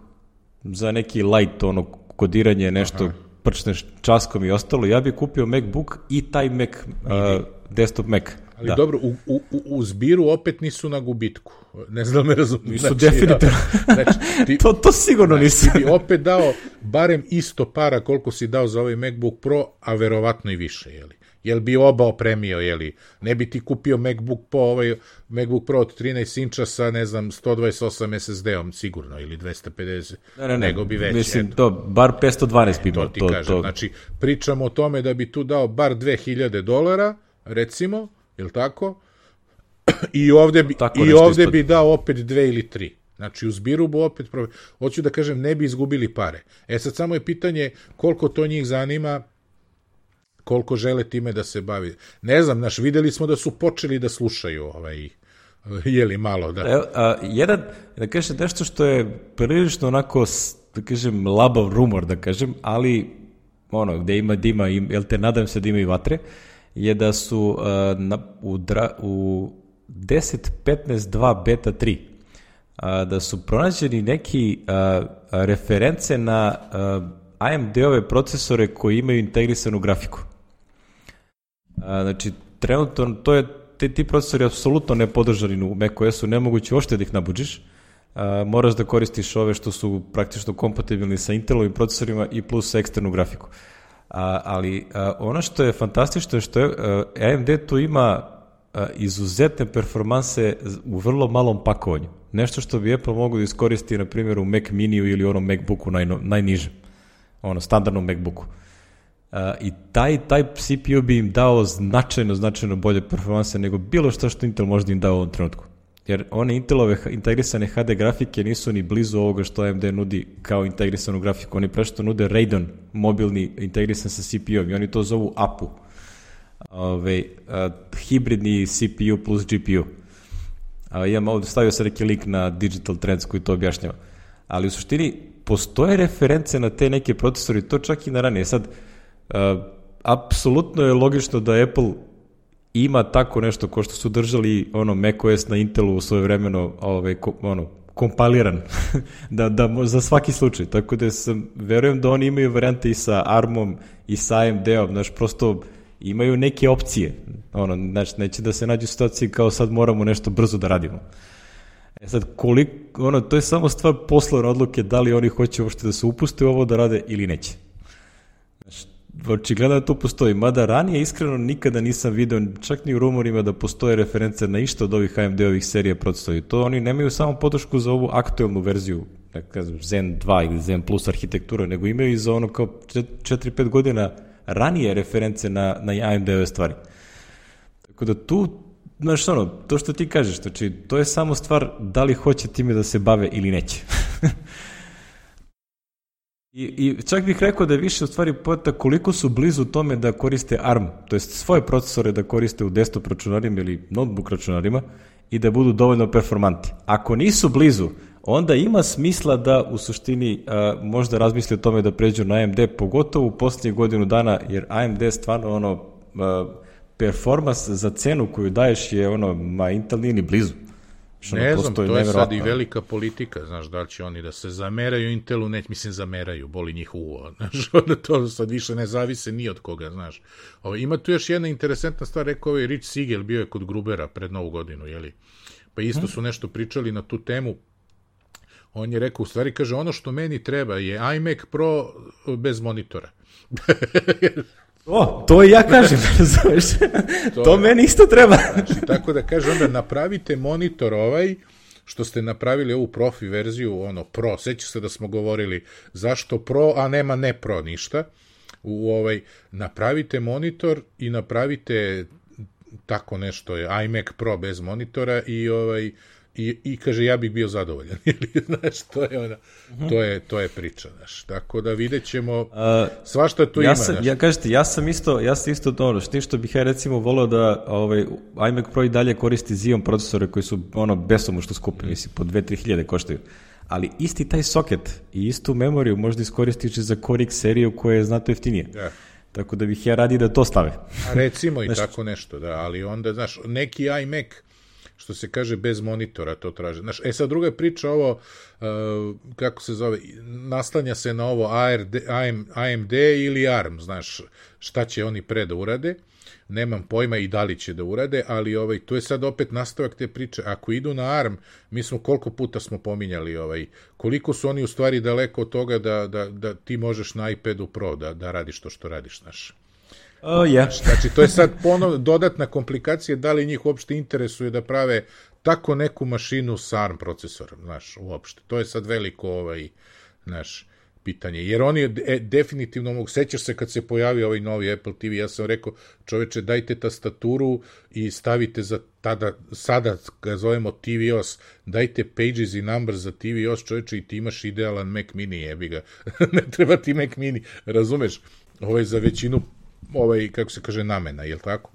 za neki light, ono, kodiranje, nešto, aha, prčne časkom i ostalo. Ja bih kupio MacBook i taj Mac, uh, desktop Mac. Ali da. Dobro, u, u, u zbiru opet nisu na gubitku. Ne znam me razumiješ. Nisu znači, definitivno. Znači, ti, to, to sigurno znači, nisu. Ti bi opet dao barem isto para koliko si dao za ovaj MacBook Pro, a verovatno i više, jeli? Jel bi oba opremio, jeli? Ne bi ti kupio MacBook Pro, ovaj MacBook Pro od trinaest inča sa, ne znam, sto dvadeset osam es es de-om sigurno, ili dvesta pedeset, ne, ne, ne, nego bi već. Mislim, eto. To, bar petsto dvanaest bi to ti to, kažem, to... znači, pričamo o tome da bi tu dao bar dve hiljade dolara, recimo, jel tako? I ovde bi, i ovde bi dao opet dve ili tri. Znači, u zbiru bu opet, hoću da kažem, ne bi izgubili pare. E sad, samo je pitanje koliko to njih zanima, koliko žele time da se bavi. Ne znam, naš, videli smo da su počeli da slušaju ovaj, jeli malo, da. Evo, a, jedan, da kažem, nešto što je prilično onako, da kažem, labav rumor, da kažem, ali ono, gde ima dima, jel te, nadam se da ima i vatre, je da su a, na, u, dra, u deset petnaest dva beta tri a, da su pronađeni neki a, a, reference na a, A M D-ove procesore koji imaju integrisanu grafiku. A, znači, trenutno to je, te, ti procesori apsolutno ne podržani u macOS-u, nemoguće uopšte da ih nabuđiš. A, moraš da koristiš ove što su praktično kompatibilni sa Intelovim procesorima i plus eksternu grafiku. A, ali a, ono što je fantastično je što je, a, A M D tu ima a, izuzetne performanse u vrlo malom pakovanju. Nešto što bi Apple mogu da iskoristi, na primjer, u Mac Miniju ili onom MacBooku naj, najnižem, ono, standardnom MacBooku. Uh, I taj, taj C P U bi im dao značajno, značajno bolje performanse nego bilo što što Intel možda im dao u ovom trenutku. Jer one Intelove integrisane H D grafike nisu ni blizu ovoga što A M D nudi kao integrisanu grafiku. Oni prešto nude Radeon mobilni integrisan sa C P U-om i oni to zovu A P U. Ove, uh, hibridni C P U plus G P U. Uh, imam ovdje, stavio sam neki link na Digital Trends koji to objašnjava. Ali u suštini postoje reference na te neke procesori, to čak i na ranije. Sad, uh, apsolutno je logično da Apple ima tako nešto ko što su držali ono macOS na Intelu u svoje vremeno ovaj, ko, ono, kompiliran da, da, za svaki slučaj. Tako da sam, verujem da oni imaju varijante i sa ARM-om i sa A M D-om, znaš, prosto imaju neke opcije. Ono, znači, neće da se nađu u situaciji kao sad moramo nešto brzo da radimo. E sad, koliko, ono, to je samo stvar poslovne odluke da li oni hoće uopšte da se upuste u ovo da rade ili neće. Znači, očigledno da to postoji. Mada ranije iskreno nikada nisam video, čak ni u rumorima da postoje reference na išta od ovih A M D-ovih serija procesora. To oni nemaju samo podršku za ovu aktuelnu verziju, da kažem, Zen dva ili Zen Plus arhitektura, nego imaju i za ono kao četiri pet godina ranije reference na, na A M D-ove stvari. Tako da tu, znaš ono, to što ti kažeš, znači, to je samo stvar da li hoće time da se bave ili neće. I, I čak bih rekao da je više u stvari pojeta koliko su blizu tome da koriste ARM, to jest svoje procesore da koriste u desktop računarima ili notebook računarima i da budu dovoljno performanti. Ako nisu blizu, onda ima smisla da u suštini a, možda razmisli o tome da pređu na A M D, pogotovo u posljednjih godinu dana, jer A M D stvarno ono, a, performance za cenu koju daješ je ono, ma Intel nije ni blizu. Što ne znam, to je sad i velika politika, znaš, da li će oni da se zameraju Intelu, ne, mislim, zameraju, boli njih uvo, znaš, to sad više ne zavise ni od koga, znaš. Ovo, ima tu još jedna interesantna stvar, rekao ovaj Rich Siegel, bio je kod Grubera pred Novu godinu, jeli, pa isto su nešto pričali na tu temu, on je rekao, u stvari, kaže, ono što meni treba je iMac Pro bez monitora. O, to i ja kažem, razumeš, to, to meni isto treba. Znači, tako da kaže, onda napravite monitor ovaj, što ste napravili ovu profi verziju, ono, pro, sećaš se da smo govorili zašto pro, a nema ne pro ništa, u ovaj, napravite monitor i napravite tako nešto, je iMac Pro bez monitora i ovaj, I, i kaže ja bih bio zadovoljan. Znaš, to je ona, uh-huh. to je to je priča, znaš. Tako da videćemo uh, svašta tu ja ima, sam, znaš. Ja kažete, ja sam isto, ja sam isto to, što što bih ja recimo voleo da ovaj iMac Pro i dalje koristi Xeon procesore koji su ono besomučno skupi, mislim po dve do tri hiljade koštaju. Ali isti taj soket i istu memoriju možda iskoristiš za Core X seriju koja je znatno jeftinije. Ja. Tako da bih ja radi da to stave. A recimo i znaš, tako nešto, da, ali onda, znaš, neki iMac što se kaže bez monitora to traže. Znaš, e sad druga priča ovo, uh, kako se zove, naslanja se na ovo A R D, A M D ili ARM, znaš, šta će oni pre da urade, nemam pojma i da li će da urade, ali ovaj, tu je sad opet nastavak te priče, ako idu na ARM, mi smo koliko puta smo pominjali, ovaj, koliko su oni u stvari daleko od toga da, da, da ti možeš na iPadu Pro da, da radiš to što radiš, znaš. Oh, yeah. Znači, to je sad ponov, dodatna komplikacija, da li njih uopšte interesuje da prave tako neku mašinu sa ARM procesorom, znaš, uopšte. To je sad veliko, ovaj, znaš, pitanje. Jer oni e, definitivno mogu, sećaš se kad se pojavio ovaj novi Apple T V, ja sam rekao, čoveče, dajte tastaturu i stavite za tada, sada ga zovemo T V O S, dajte pages i numbers za T V O S, čoveče, i ti imaš idealan Mac Mini, jebi ga. Ne treba ti Mac Mini, razumeš? Ovo je za većinu ovaj, kako se kaže, namena, je li tako?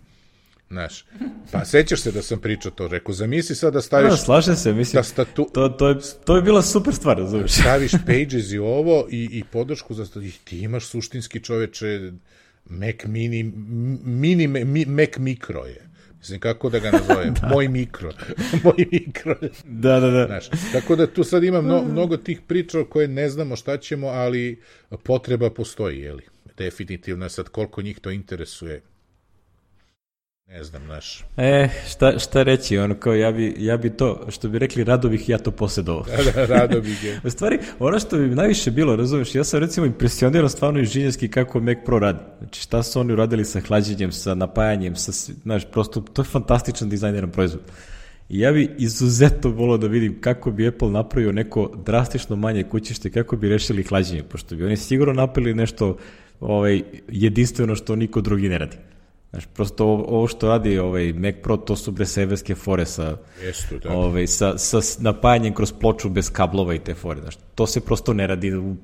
Znaš, pa sećaš se da sam pričao to, rekao, zamisli sad da staviš... No, slaže se, mislim, statu... to, to, je, to je bila super stvar, razumiješ. Staviš pages i ovo i, i podršku za... I ti imaš suštinski, čoveče, Mac Mini, mini mi, Mac Micro je. Mislim, kako da ga nazovem? da. Moj mikro. Moj mikro. Da, da, da. Znaš, tako da tu sad ima mno, mnogo tih priča koje ne znamo šta ćemo, ali potreba postoji, jeli? Definitivno, sad koliko njih to interesuje. Ne znam, znaš. E, šta, šta reći, ono kao ja bi, ja bi to, što bi rekli, rado bih ja to posjedovao. Da, da, rado bih je. U stvari, ono što bi najviše bilo, razumiješ, ja sam recimo impresioniran stvarno inženjerski kako Mac Pro radi. Znači šta su oni uradili sa hlađenjem, sa napajanjem, sa, znaš, prosto, to je fantastičan dizajneran proizvod. I ja bi izuzetno volio da vidim kako bi Apple napravio neko drastično manje kućište, kako bi rešili hlađenje, pošto bi oni sigurno napravili nešto ovaj, jedinstveno što niko drugi ne radi. Znaš, prosto ovo što radi ovaj Mac Pro, to su bre severske fore sa, Jestu, ovaj, sa, sa napajanjem kroz ploču bez kablova i te fore. Znaš, to se prosto ne radi u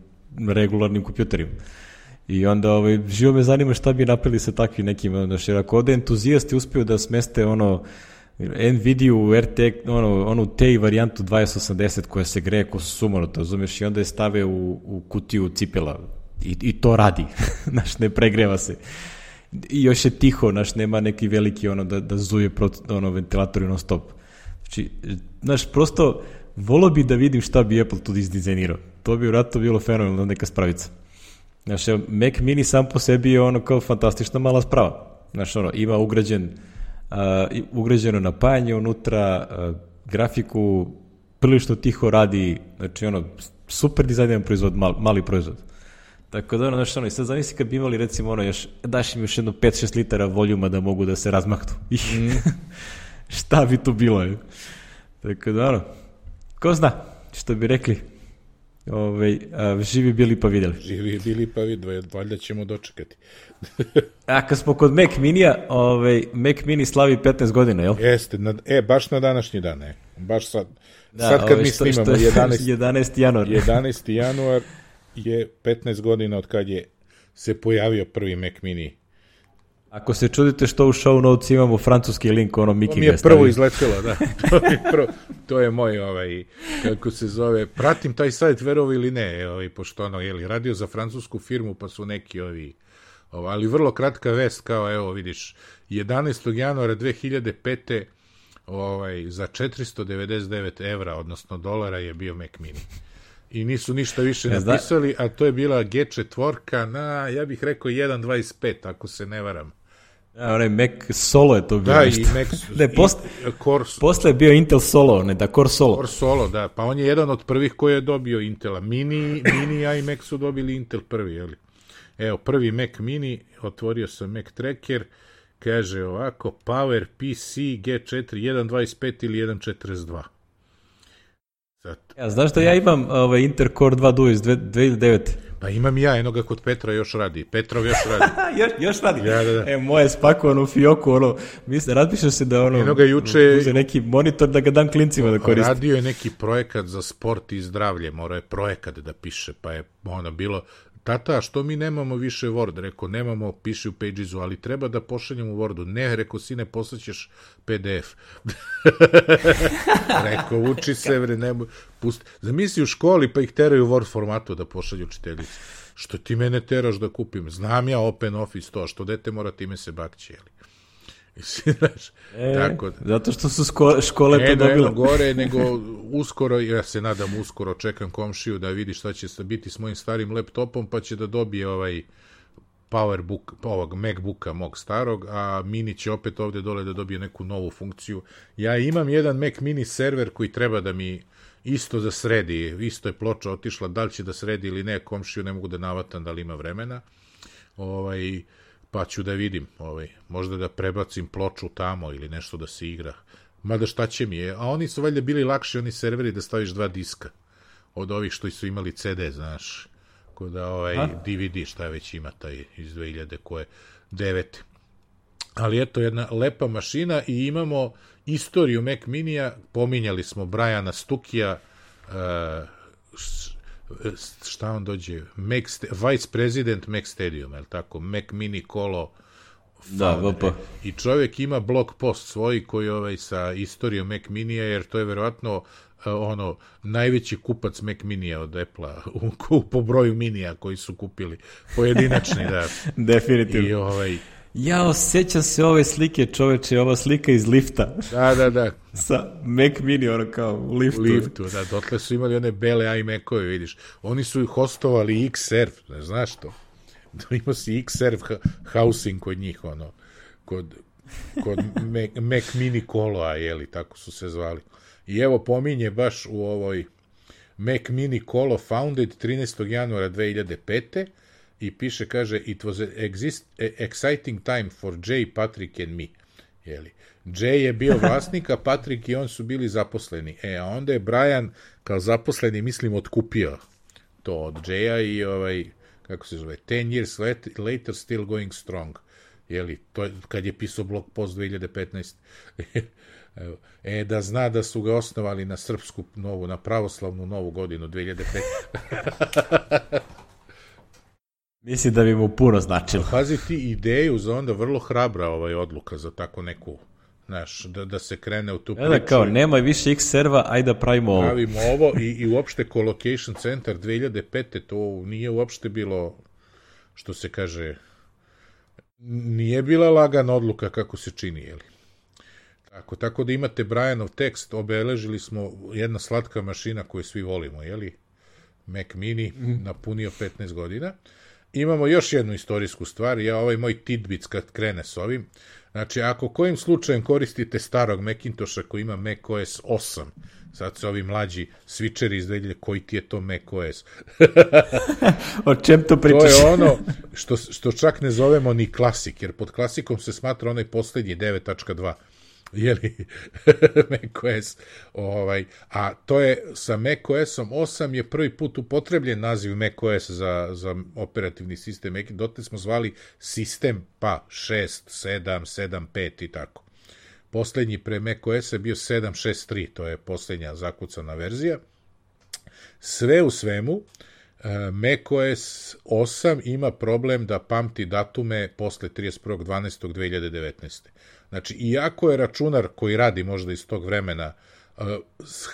regularnim kompjuterima. I onda ovaj, živo me zanima šta bi napravili sa takvim nekim, znaš, jer ako ovde entuzijasti uspiju da smeste ono Nvidia u R T X, ono, onu T I varijantu dvadeset osamdeset koja se greje ko sumanuto, razumiješ, i onda je stave u, u kutiju cipela i, i to radi, znaš, ne pregreva se. I još je tiho, znaš, nema neki veliki ono da, da zuje ono, ventilator non stop. Znači, znaš, prosto volio bi da vidim šta bi Apple tu izdizajnirao. To bi vratno bilo fenomenalno neka spravica. Znaš, Mac Mini sam po sebi je ono kao fantastična mala sprava. Znaš, ono, ima ugrađen, uh, ugrađeno napajanje unutra, uh, grafiku, prilično tiho radi, znači ono, super dizajniran proizvod, mal, mali proizvod. Tako da, ono, znaš, ono, i sad zamisli kad bi imali, recimo, ono, još, daš im još jedno pet šest litara voljuma da mogu da se razmahnu. Mm. Šta bi to bilo, je? Tako da, ono, ko zna, što bi rekli, Ove, a, živi bili pa vidjeli. Živi bili pa vidjeli, valjda ćemo dočekati. A kad smo kod Mac Minija, ove, Mac Mini slavi petnaest godina, jel? Jeste, na, e, baš na današnji dan, e. Baš sad, da, sad kad ove, mi što, snimamo, što jedanaesti jedanaesti januar. jedanaesti januar je petnaest godina od kad je se pojavio prvi Mac Mini. Ako se čudite što u show notes imamo francuski link, ono Miki ga mi je prvo izletelo, da. To je, prvo, to je moj, ovaj, kako se zove, pratim taj sajt, verovi ili ne, ovaj, pošto ono, jeli, radio za francusku firmu, pa su neki ovi, ovaj, ali vrlo kratka vest, kao, evo, vidiš, jedanaestog januara dve hiljade pete ovaj, za četiristo devedeset devet evra, odnosno dolara, je bio Mac Mini. I nisu ništa više ja, napisali, a to je bila G četiri na, ja bih rekao, jedan dvadeset pet, ako se ne varam. Ja, onaj Mac Solo je to bio. Da, nešto. i Mac ne, post, Core, posle je bio Intel Solo, ne da Core Solo. Core Solo, da, pa on je jedan od prvih koji je dobio Intela. Mini, Mini i Mac su dobili Intel prvi, jeli? Evo, prvi Mac Mini, otvorio sam Mac Tracker, kaže ovako, Power P C G četiri jedan dvadeset pet ili jedan četrdeset dva. Sad. Ja, znaš da ja imam ovaj, Intel Core dva Duo iz dve hiljade devete. Pa imam ja, jednoga kod Petra još radi. Petrov još radi. još, još radi? Ja, da, da. E, moje spakovano u fioku, ono, mislim, razmišljam se da ono, jednoga juče uze neki monitor da ga dam klincima da koristim. Radio je neki projekat za sport i zdravlje, morao je projekat da piše, pa je ono bilo, tata, što mi nemamo više Word? Rekao, nemamo, piši u Pagesu, ali treba da pošaljemo u Wordu. Ne, rekao, sine, poslaćeš P D F. Rekao, uči se, vre, nemoj, pusti. Zamisli u školi, pa ih teraju u Word formatu da pošalju učiteljici. Što ti mene teraš da kupim? Znam ja Open Office to, što dete mora time se bakći, jeli? E, tako da. Zato što su škole, škole ne, to dobile. Ne, gore, nego uskoro, ja se nadam uskoro, čekam komšiju da vidi šta će biti s mojim starim laptopom, pa će da dobije ovaj Powerbook, ovog MacBooka mog starog, a Mini će opet ovde dole da dobije neku novu funkciju. Ja imam jedan Mac Mini server koji treba da mi isto da sredi, isto je ploča otišla, da li će da sredi ili ne, komšiju ne mogu da navatam da li ima vremena. Ovaj... pa ću da vidim, ovaj, možda da prebacim ploču tamo ili nešto da se igra. Mada šta će mi je, a oni su valjda bili lakši, oni serveri, da staviš dva diska od ovih što su imali C D, znaš, kod da ovaj a? D V D, šta već ima taj iz dve hiljade koje, devete. Ali eto, jedna lepa mašina i imamo istoriju Mac Minija, pominjali smo Briana Stukija, uh, šta on dođe, Mac, Vice President Mac Stadium, je li tako, Mac Mini Kolo, da, V P. I čovjek ima blog post svoj koji ovaj sa istorijom Mac Minija, jer to je verovatno uh, ono, najveći kupac Mac Minija od Apple-a, po broju Minija koji su kupili, pojedinačni, da. Definitivno. I ovaj, Ja osjećam se ove slike, čoveče, ova slika iz lifta. Da, da, da. Sa Mac Mini, ono kao u liftu. U liftu, da, dotle su imali one bele iMac-ove, vidiš. Oni su hostovali Xserve, ne znaš to? Imao si Xserve housing kod njih, ono, kod, kod Mac, Mac Mini Koloa, jeli, tako su se zvali. I evo pominje baš u ovoj Mac Mini Kolo founded trinaestog januara dve hiljade pete. I piše, kaže, it was an exist, exciting time for Jay, Patrick and me. Jeli. Jay je bio vlasnik, a Patrick i on su bili zaposleni. E, a onda je Brian kao zaposleni, mislim, otkupio to od Jaya i ovaj, kako se zove, ten years later still going strong. Jeli, to je, kad je pisao blog post dve hiljade petnaeste. E, da zna da su ga osnovali na srpsku novu, na pravoslavnu novu godinu dve hiljade pete. Mislim da bi mu puno značilo. Pazi ti ideju za onda vrlo hrabra ovaj odluka za tako neku, znaš, da, da se krene u tu priču. Da, kao, nema više X-serva, ajde da pravimo ovo. Pravimo ovo i, i uopšte Colocation Center dve hiljade pete to nije uopšte bilo, što se kaže, nije bila lagana odluka kako se čini, jeli? Tako, tako da imate Brianov tekst, obeležili smo jedna slatka mašina koju svi volimo, jeli? Mac Mini, mm. napunio petnaest godina. Imamo još jednu istorijsku stvar, ja ovaj moj tidbits kad krene s ovim, znači ako kojim slučajem koristite starog Macintosha koji ima macOS osam, sad se ovi mlađi switcheri izdelje, koji ti je to macOS? O čem to pričaš? To je ono što, što čak ne zovemo ni klasik, jer pod klasikom se smatra onaj poslednji devet tačka dva. Jeli, macOS, ovaj, a to je sa macOSom osam je prvi put upotrebljen naziv macOS za, za operativni sistem, dotle smo zvali sistem pa šest, sedam, sedam pet i tako. Poslednji pre macOS je bio sedam šest tri, to je poslednja zakucana verzija. Sve u svemu, macOS osam ima problem da pamti datume posle trideset prvog decembra dve hiljade devetnaeste. Znači, iako je računar koji radi možda iz tog vremena,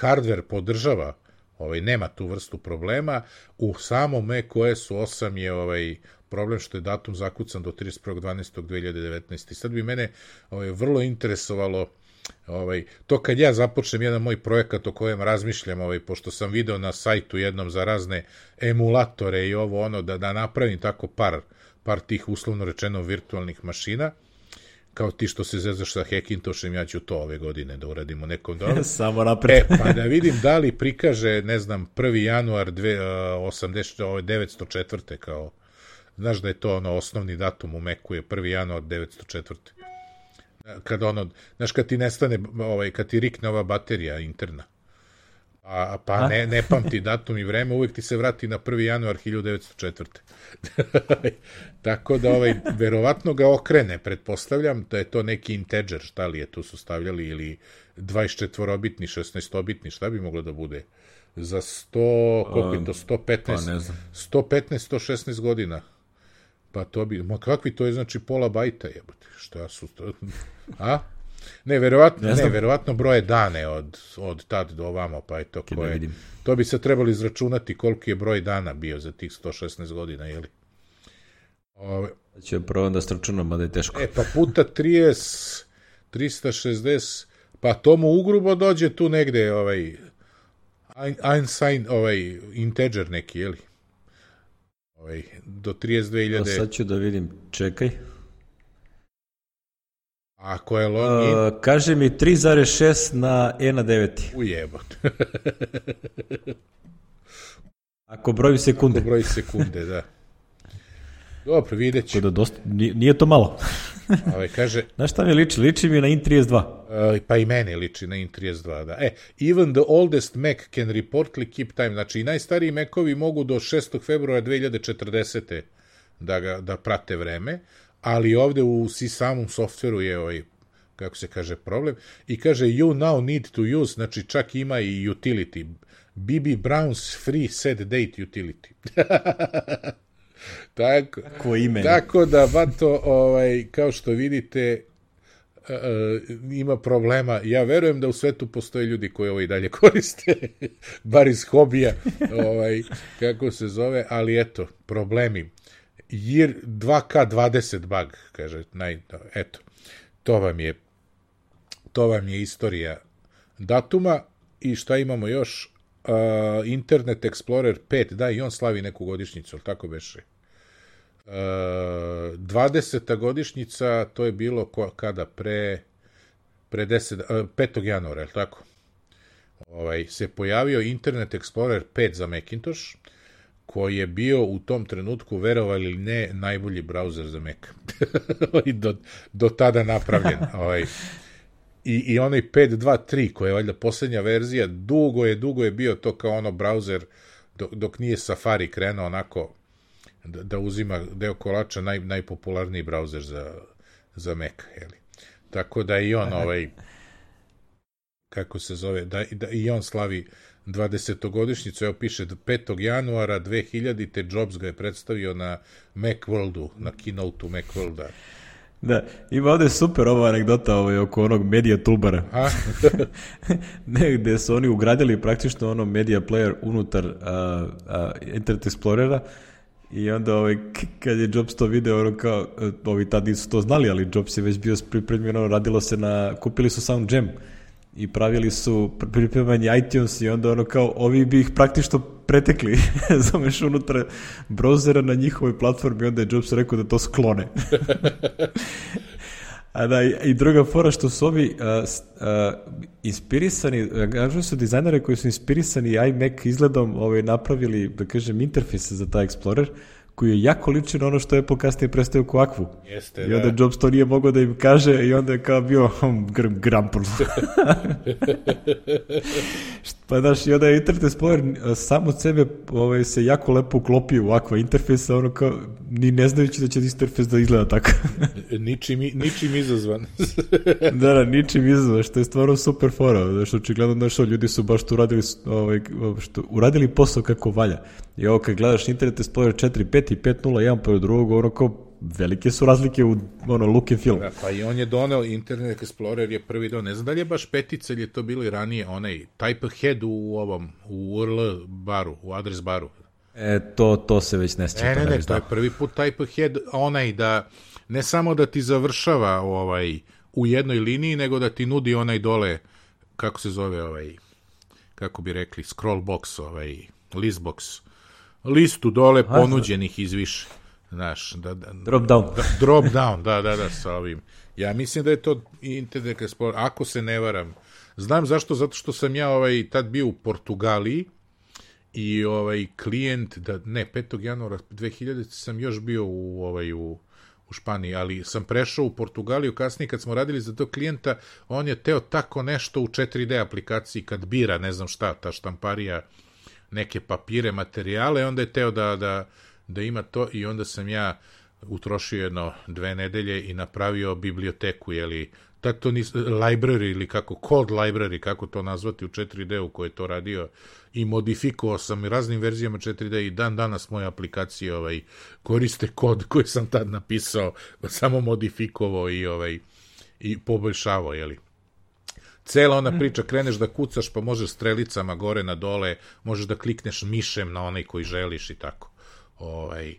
hardware podržava, ovaj, nema tu vrstu problema, u samom macOS osam je ovaj, problem što je datum zakucan do trideset prvog decembra dve hiljade devetnaeste. I sad bi mene ovaj, vrlo interesovalo ovaj, to kad ja započnem jedan moj projekat o kojem razmišljam, ovaj, pošto sam video na sajtu jednom za razne emulatore i ovo ono, da, da napravim tako par, par tih uslovno rečeno virtualnih mašina, kao ti što se zezaš sa Hackintoshem, ja ću to ove godine da uradimo nekom dobro. Samo napred. E, pa da vidim da li prikaže, ne znam, prvi januar devetsto četvrte kao, znaš da je to ono osnovni datum u Macu je prvi januar devetsto četvrte. Kad ono, znaš, kad ti nestane, ovaj, kad ti rikne ova baterija interna, a, pa ne, ne pamti datum i vreme, uvek ti se vrati na prvi januar hiljadu devetsto četvrte. Tako da, ovaj, verovatno ga okrene, pretpostavljam, da je to neki integer, šta li je tu su stavljali, ili dvadeset četvorobitni, šesnaestobitni, šta bi moglo da bude? Za sto, koliko je to, sto petnaest, pa ne znam. sto petnaest, sto šesnaest godina. Pa to bi, ma kakvi to je, znači pola bajta jebote, šta su to, a? Ne, verovatno, ne, ne verovatno broje dane od, od tad do ovamo, pa je to koje, to bi se trebalo izračunati koliki je broj dana bio za tih sto šesnaest godina, jeli? Ove, ću probam da stračunam, mada je teško. E, pa puta trideset, trista šezdeset, pa tomu ugrubo dođe tu negde, ovaj, unsigned, ovaj, integer neki, jeli? Ovaj, do trideset dve hiljade. Sad ću da vidim, čekaj. Ako je login... Uh, kaže mi tri zarez šest na e na devet. Ujebot. Ako broji sekunde. Ako broji sekunde, da. Dobro, vidjet ću. Da dosta, nije to malo. Ovaj, kaže... Znaš šta mi liči? Liči mi na in trideset dva. Uh, pa i mene liči na in trideset dva, da. E, even the oldest Mac can reportedly keep time. Znači, i najstariji Macovi mogu do šestog februara dve hiljade četrdesete da, ga, da prate vreme, ali ovde u si samom softveru je ovaj, kako se kaže, problem. I kaže, you now need to use, znači čak ima i utility. B B Brown's free set date utility. tako, Tako ime. Tako da, bato, ovaj, kao što vidite, uh, ima problema. Ja verujem da u svetu postoje ljudi koji ovo i dalje koriste, bar iz hobija, ovaj, kako se zove, ali eto, problemi. Year dva ka dvadeset bug, kaže, naj, eto, to vam je, to vam je istorija datuma. I šta imamo još? Uh, Internet Explorer pet, da, i on slavi neku godišnjicu, ali tako beše. Uh, dvadeseta godišnjica, to je bilo ko, kada pre, pre deset, uh, petog januara, je li tako? Ovaj, se pojavio Internet Explorer pet za Macintosh, koji je bio u tom trenutku, verovali ili ne, najbolji brauzer za Mac. do, do tada napravljen. Ovaj. I, I onaj pet dva tri, koja je valjda posljednja verzija, dugo je, dugo je bio to kao ono brauzer, dok, dok nije Safari krenuo onako da, da uzima deo kolača, naj, najpopularniji brauzer za, za Mac. Jeli. Tako da i on, ovaj, kako se zove, da, da i on slavi dvadesetogodišnjicu, evo piše petog januara dve hiljadite. Jobs ga je predstavio na Macworldu, na keynote-u Macworlda. Da, ima ovdje super ova anegdota ovaj, oko onog media toolbara. Ne, gde su oni ugradili praktično ono media player unutar uh, uh, Internet Explorera i onda ovaj, kad je Jobs to video, ono kao, ovi tad nisu to znali, ali Jobs je već bio pripremljen, ono, radilo se na, kupili su Sound Jam i pravili su pripremanje iTunes i onda ono kao, ovi bi ih praktično pretekli, zameš unutra browsera na njihovoj platformi, onda je Jobs rekao da to sklone. A da, i druga fora što su ovi uh, uh, inspirisani, kažu su dizajnere koji su inspirisani iMac izgledom ovaj, napravili, da kažem, interfejs za taj Explorer, koji je jako ličan ono što je Apple kasnije predstavio ko Aquu. Jeste, i onda da. Jobs to nije mogao da im kaže i onda je kao bio grampul. Pa znaš, i onda je Internet Explorer sam od sebe ovaj, se jako lepo uklopio u Aqua interfejsa, ono kao, ni ne znajući da će interfejs da izgleda tako. ničim, ničim izazvan. da, da, ničim izazvan, što je stvarno super fora. Znaš, očigledno, znaš, ljudi su baš tu uradili, ovaj, što, uradili posao kako valja. I ovo kad gledaš Internet Explorer četiri pet i pet nula jedan pored drugog, ono kao velike su razlike u ono, look and feel. Da, pa i on je doneo, Internet Explorer je prvi doneo, ne znam da li je baš petica ili je to bilo i ranije, onaj type-ahead u ovom, u U R L baru, u adres baru. E, to, to se već ne sjeća. Ne, ne, ne, to je prvi put type-ahead, onaj da, ne samo da ti završava ovaj, u jednoj liniji, nego da ti nudi onaj dole, kako se zove ovaj, kako bi rekli, scroll box, ovaj, list box, listu dole ponuđenih izviše. Znaš, da, da, drop down. Da, drop down, da, da, da, sa ovim. Ja mislim da je to Internet Explorer, ako se ne varam. Znam zašto, zato što sam ja ovaj, tad bio u Portugaliji i ovaj klijent, da, ne, petog januara dve hiljadite sam još bio u, ovaj, u, u Španiji, ali sam prešao u Portugaliju kasnije kad smo radili za tog klijenta, on je teo tako nešto u četiri de aplikaciji kad bira, ne znam šta, ta štamparija, neke papire, materijale, onda je teo da, da da ima to i onda sam ja utrošio jedno dve nedelje i napravio biblioteku, jeli, tako to nis, library ili kako, code library, kako to nazvati u četiri de u kojoj je to radio i modifikovao sam raznim verzijama četiri de i dan danas moje aplikacije ovaj, koriste kod koji sam tad napisao, samo modifikovao i, ovaj, i poboljšavao, jeli. Cela ona priča, kreneš da kucaš pa možeš strelicama gore na dole, možeš da klikneš mišem na onaj koji želiš i tako. Ovaj,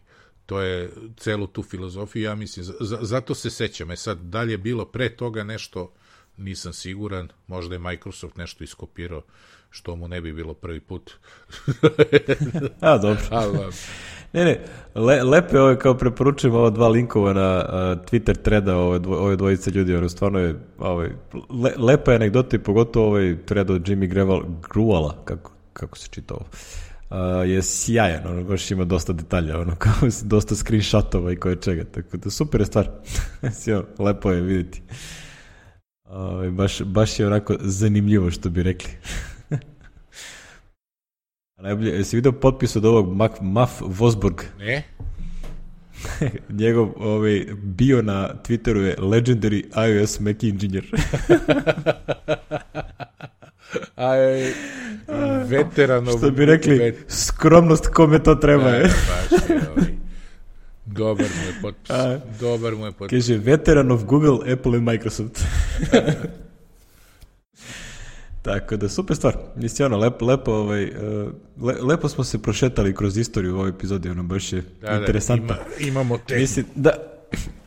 to je celu tu filozofiju, ja mislim, z- zato se sećam. E sad, da li je bilo pre toga nešto, nisam siguran, možda je Microsoft nešto iskopirao, što mu ne bi bilo prvi put. A, dobro. ne, ne, le, lepe ove, kao preporučujem ova dva linkova na uh, Twitter threada ove, dvo, ove dvojice ljudi, ono, stvarno je ovaj, le, lepa je anegdota i pogotovo ovaj thread od Jimmy Greval, Gruala, kako, kako se čita ovo. Uh, je sjajan, ono, baš ima dosta detalja, ono, kao dosta screenshotova i koje čega, tako da super je stvar. Sjeo, lepo je vidjeti. Uh, baš, baš je onako zanimljivo, što bi rekli. Najbolje, jesi vidio potpis od ovog Maf, Maf Vosburg? Ne. Njegov ovaj, bio na Twitteru je Legendary iOS Mac Engineer. Aj, veteranov... Što bi rekli, vet... skromnost kome to treba. je. Baš je ovaj. Dobar mu je potpis. A, Dobar mu je potpis. Kaže, veteran of Google, Apple and Microsoft. Tako da, super stvar. Mislim, ono, lepo, lepo, ovaj, le, lepo smo se prošetali kroz istoriju u ovoj epizodi, ono, baš je da, interesantno. Da, ima, imamo te... Mislim, da,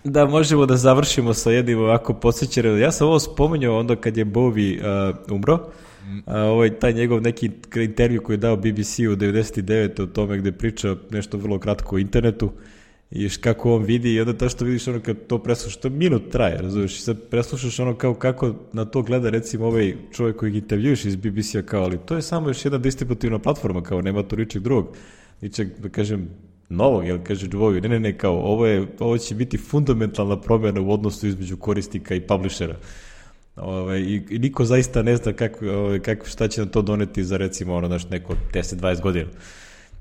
da možemo da završimo sa jednim ovako posjećenim. Ja sam ovo spominjao onda kad je Bowie uh, umro, mm. uh, ovaj, taj njegov neki intervju koji je dao B B C u devedeset devete o tome gde priča nešto vrlo kratko o internetu i kako on vidi i onda to što vidiš ono kad to preslušaš, to minut traje, razumiješ, i sad preslušaš ono kao kako na to gleda recimo ovaj čovjek koji intervjuš iz B B C-a kao, ali to je samo još jedna distributivna platforma, kao nema tu ničeg drugog, ničeg, da kažem, novog, jel kaže Dvoju, ne, ne, ne, kao, ovo, je, ovo će biti fundamentalna promjena u odnosu između korisnika i publishera. Ove, i, I niko zaista ne zna kako, ove, kako, šta će nam to doneti za recimo ono, naš, neko deset dvadeset godina.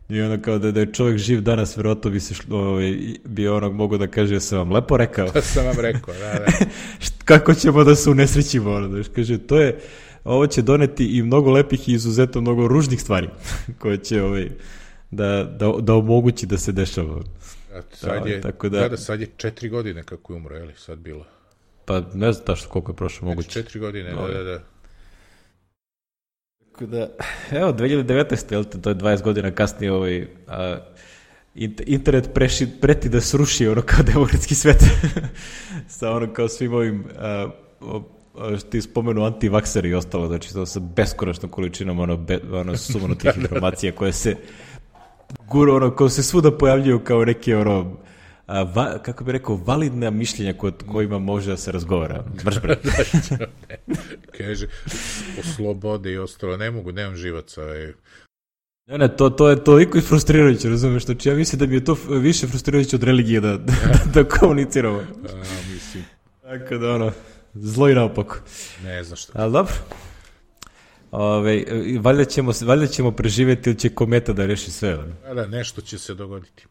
I ono kao da, da je čovjek živ danas, verovatno bi se šlo, ove, bi onog mogo da kaže, ja sam vam lepo rekao. To sam vam rekao, da, da. Kako ćemo da se unesrećimo, ono, da kaže, to je, ovo će doneti i mnogo lepih i izuzetno mnogo ružnih stvari, koje će, ovaj, da, da, da omogući da se dešava. A sad je, tako da, da, sad je četiri godine kako je umro, je li sad bilo? Pa ne znam tačno koliko je prošlo moguće. Četiri godine, no, da, da, da. Tako da, evo, dve hiljade devetnaeste, jel te, to je dvadeset godina kasnije, ovaj, a, internet preši, preti da sruši ono kao demokratski svet sa ono kao svim ovim a, a, što ti spomenu antivakseri i ostalo, znači to sa beskonačnom količinom ono, be, ono sumanutih informacija koje se guru, ono, kao se svuda pojavljuju kao neke, ono, a, va, kako bi rekao, validna mišljenja koje, kojima može da se razgovara. Brš, brš. Kaže, o slobode i ostalo, ne mogu, nemam živaca. Ne, ne, to, to je toliko i frustrirajuće, razumiješ, znači ja mislim da mi je to više frustrirajuće od religije da, da, da komuniciramo. A, mislim. Tako da, ono, zlo i naopako. Ne znam što. Ali dobro. Ove, valjda, ćemo, valjda ćemo preživjeti ili će kometa da reši sve. Da, da, nešto će se dogoditi.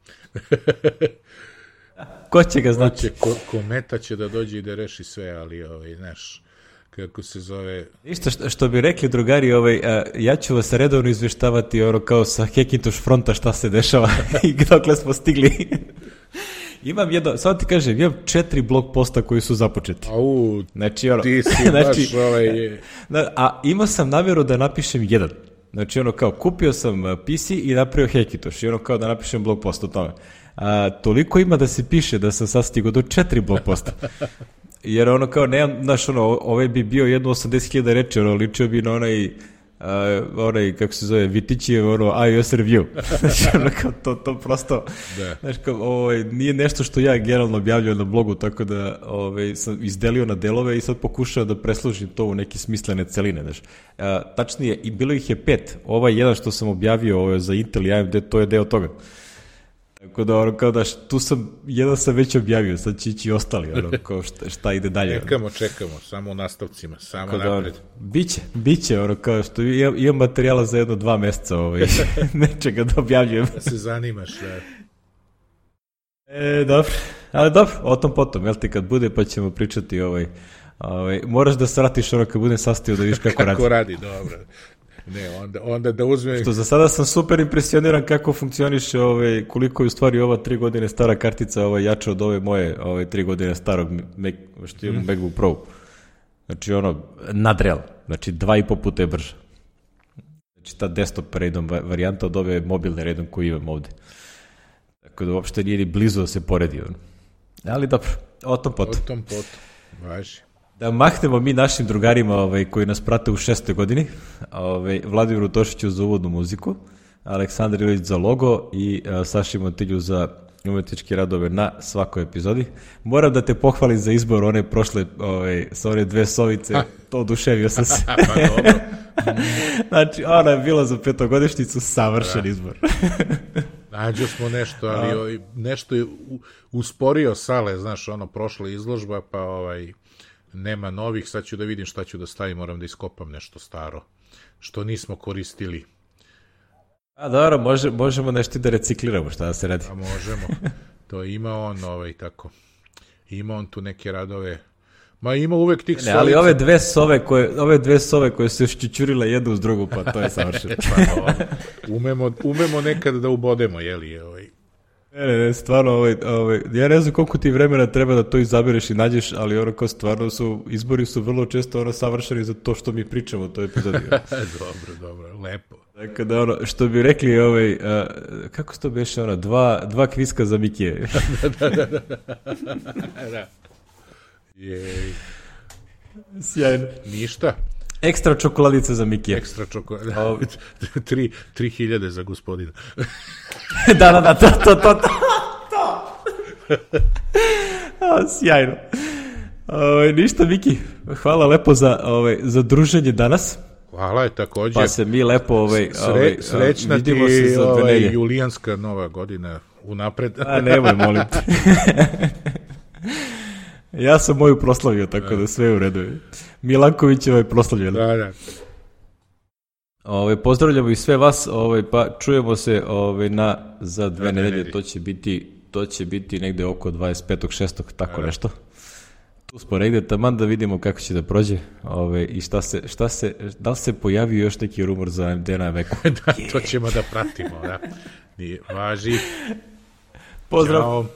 Ko će ga znati? Će, ko, kometa će da dođe i da reši sve, ali, ovaj, znaš, kako se zove... Isto što, što bi rekli drugari, ovaj, a, ja ću vas redovno izveštavati ono, kao sa Hackintosh fronta šta se dešava i dokle smo stigli. Imam jedno, samo ti kažem, imam četiri blog posta koji su započeti. Au, znači, ono, ti si znači, baš ovaj... A imao sam namjeru da napišem jedan. Znači, ono kao, kupio sam P C i napravio Hackintosh i ono kao da napišem blog post o tome. A, toliko ima da se piše da sam sad stigao do četiri blog posta. Jer ono kao, nemam, znaš, ono, ovaj bi bio jedno osamdeset hiljada reči, ono, ličio bi na onaj, uh, onaj, kako se zove, Vitićijev, ono, iOS review. Znači, ono, kao, to, to prosto, da. Znaš, kao, ovaj, nije nešto što ja generalno objavljujem na blogu, tako da, ovaj, sam izdelio na delove i sad pokušao da presložim to u neke smislene celine, znaš. Uh, tačnije, i bilo ih je pet. Ovaj jedan što sam objavio ovaj, za Intel i A M D, to je deo toga. Tako da, ono, kao da, tu sam, jedan sam već objavio, sad će ići ostali, ono, kao šta, šta ide dalje. Čekamo, ono. čekamo, samo u nastavcima, samo da, napred. Ono, biće, biće, ono, kao što imam, imam materijala za jedno dva meseca, ovaj, nečega da objavljujem. Da se zanimaš, da. E, dobro, ali dobro, o tom potom, jel ti kad bude, pa ćemo pričati, ovaj, ovaj, moraš da se vratiš, ono, kad budem sastavio da vidiš kako, kako radi. Kako radi, dobro. Ne, onda, onda da uzme... Što za sada sam super impresioniran kako funkcioniše, ovaj, koliko je u stvari ova tri godine stara kartica ovaj, jača od ove moje ovaj, tri godine starog Mac, što imam mm. MacBook Pro. Znači ono, nadreal. Znači dva i po puta je brža. Znači ta desktop redom varijanta od ove mobilne redom koju imam ovde. Tako da uopšte nije ni blizu da se poredi. On. Ali dobro, o tom potom. O tom potom, važi. Da mahnemo mi našim drugarima ovaj, koji nas prate u šestoj godini, ovaj, Vladimiru Tošiću za uvodnu muziku, Aleksandar Ilić za logo i a, Saši Montilju za umetničke radove na svakoj epizodi. Moram da te pohvalim za izbor one prošle, ovaj, sa one dve sovice, ha. To oduševio sam se. Pa dobro. Znači, ona je bila za petogodišnjicu savršen da. Izbor. Nađo smo nešto, ali nešto je usporio sale, znaš, ono, prošla izložba, pa ovaj... nema novih, sad ću da vidim šta ću da stavim, moram da iskopam nešto staro, što nismo koristili. A dobro, može, možemo nešto da recikliramo, šta da se radi. A možemo, to ima on, ovaj, tako, ima on tu neke radove, ma ima uvek tih sovica. Ali ove dve sove koje, ove dve sove koje su šćućurile jednu uz drugu, pa to je savršeno. Pa, umemo, umemo nekad da ubodemo, jeli, ovaj. Ne, ne, ne, stvarno, ovaj, ovaj, ja ne znam koliko ti vremena treba da to izabereš i nađeš, ali ono kao stvarno su, izbori su vrlo često ono savršeni za to što mi pričamo u toj epizodi. Dobro, dobro, lepo. Tako da ono, što bi rekli, ovaj, uh, kako se to beše, ono, dva, dva kviska za Mikije. da, da, da, da. Jej. Sjajno. Ništa. Ekstra čokoladica za Mikije. Ekstra čokoladica. tri, tri hiljade za gospodina. da, da, da, to, to, to, to. A, sjajno. Ove, ništa, Miki, hvala lepo za, ove, za druženje danas. Hvala je takođe. Pa se mi lepo ove, Sre, ove, srećna vidimo ti se za dve ovaj, nedelje. julijanska nova godina unapred. A nemoj, molim te. Ja sam moju proslavio, tako da sve je u redu. Milanković je ovaj proslavio. Da, da. Ove, pozdravljamo i sve vas, ove, pa čujemo se ove, na, za dve da, nedelje, ne to će biti to će biti negde oko dvadeset petog šestog tako da. Nešto. Tu smo negde, taman da vidimo kako će da prođe ove, i šta se, šta se, da li se pojavio još neki rumor za A M D na veku. da, to ćemo da pratimo, da. Nije, važi. Pozdrav. Ćao.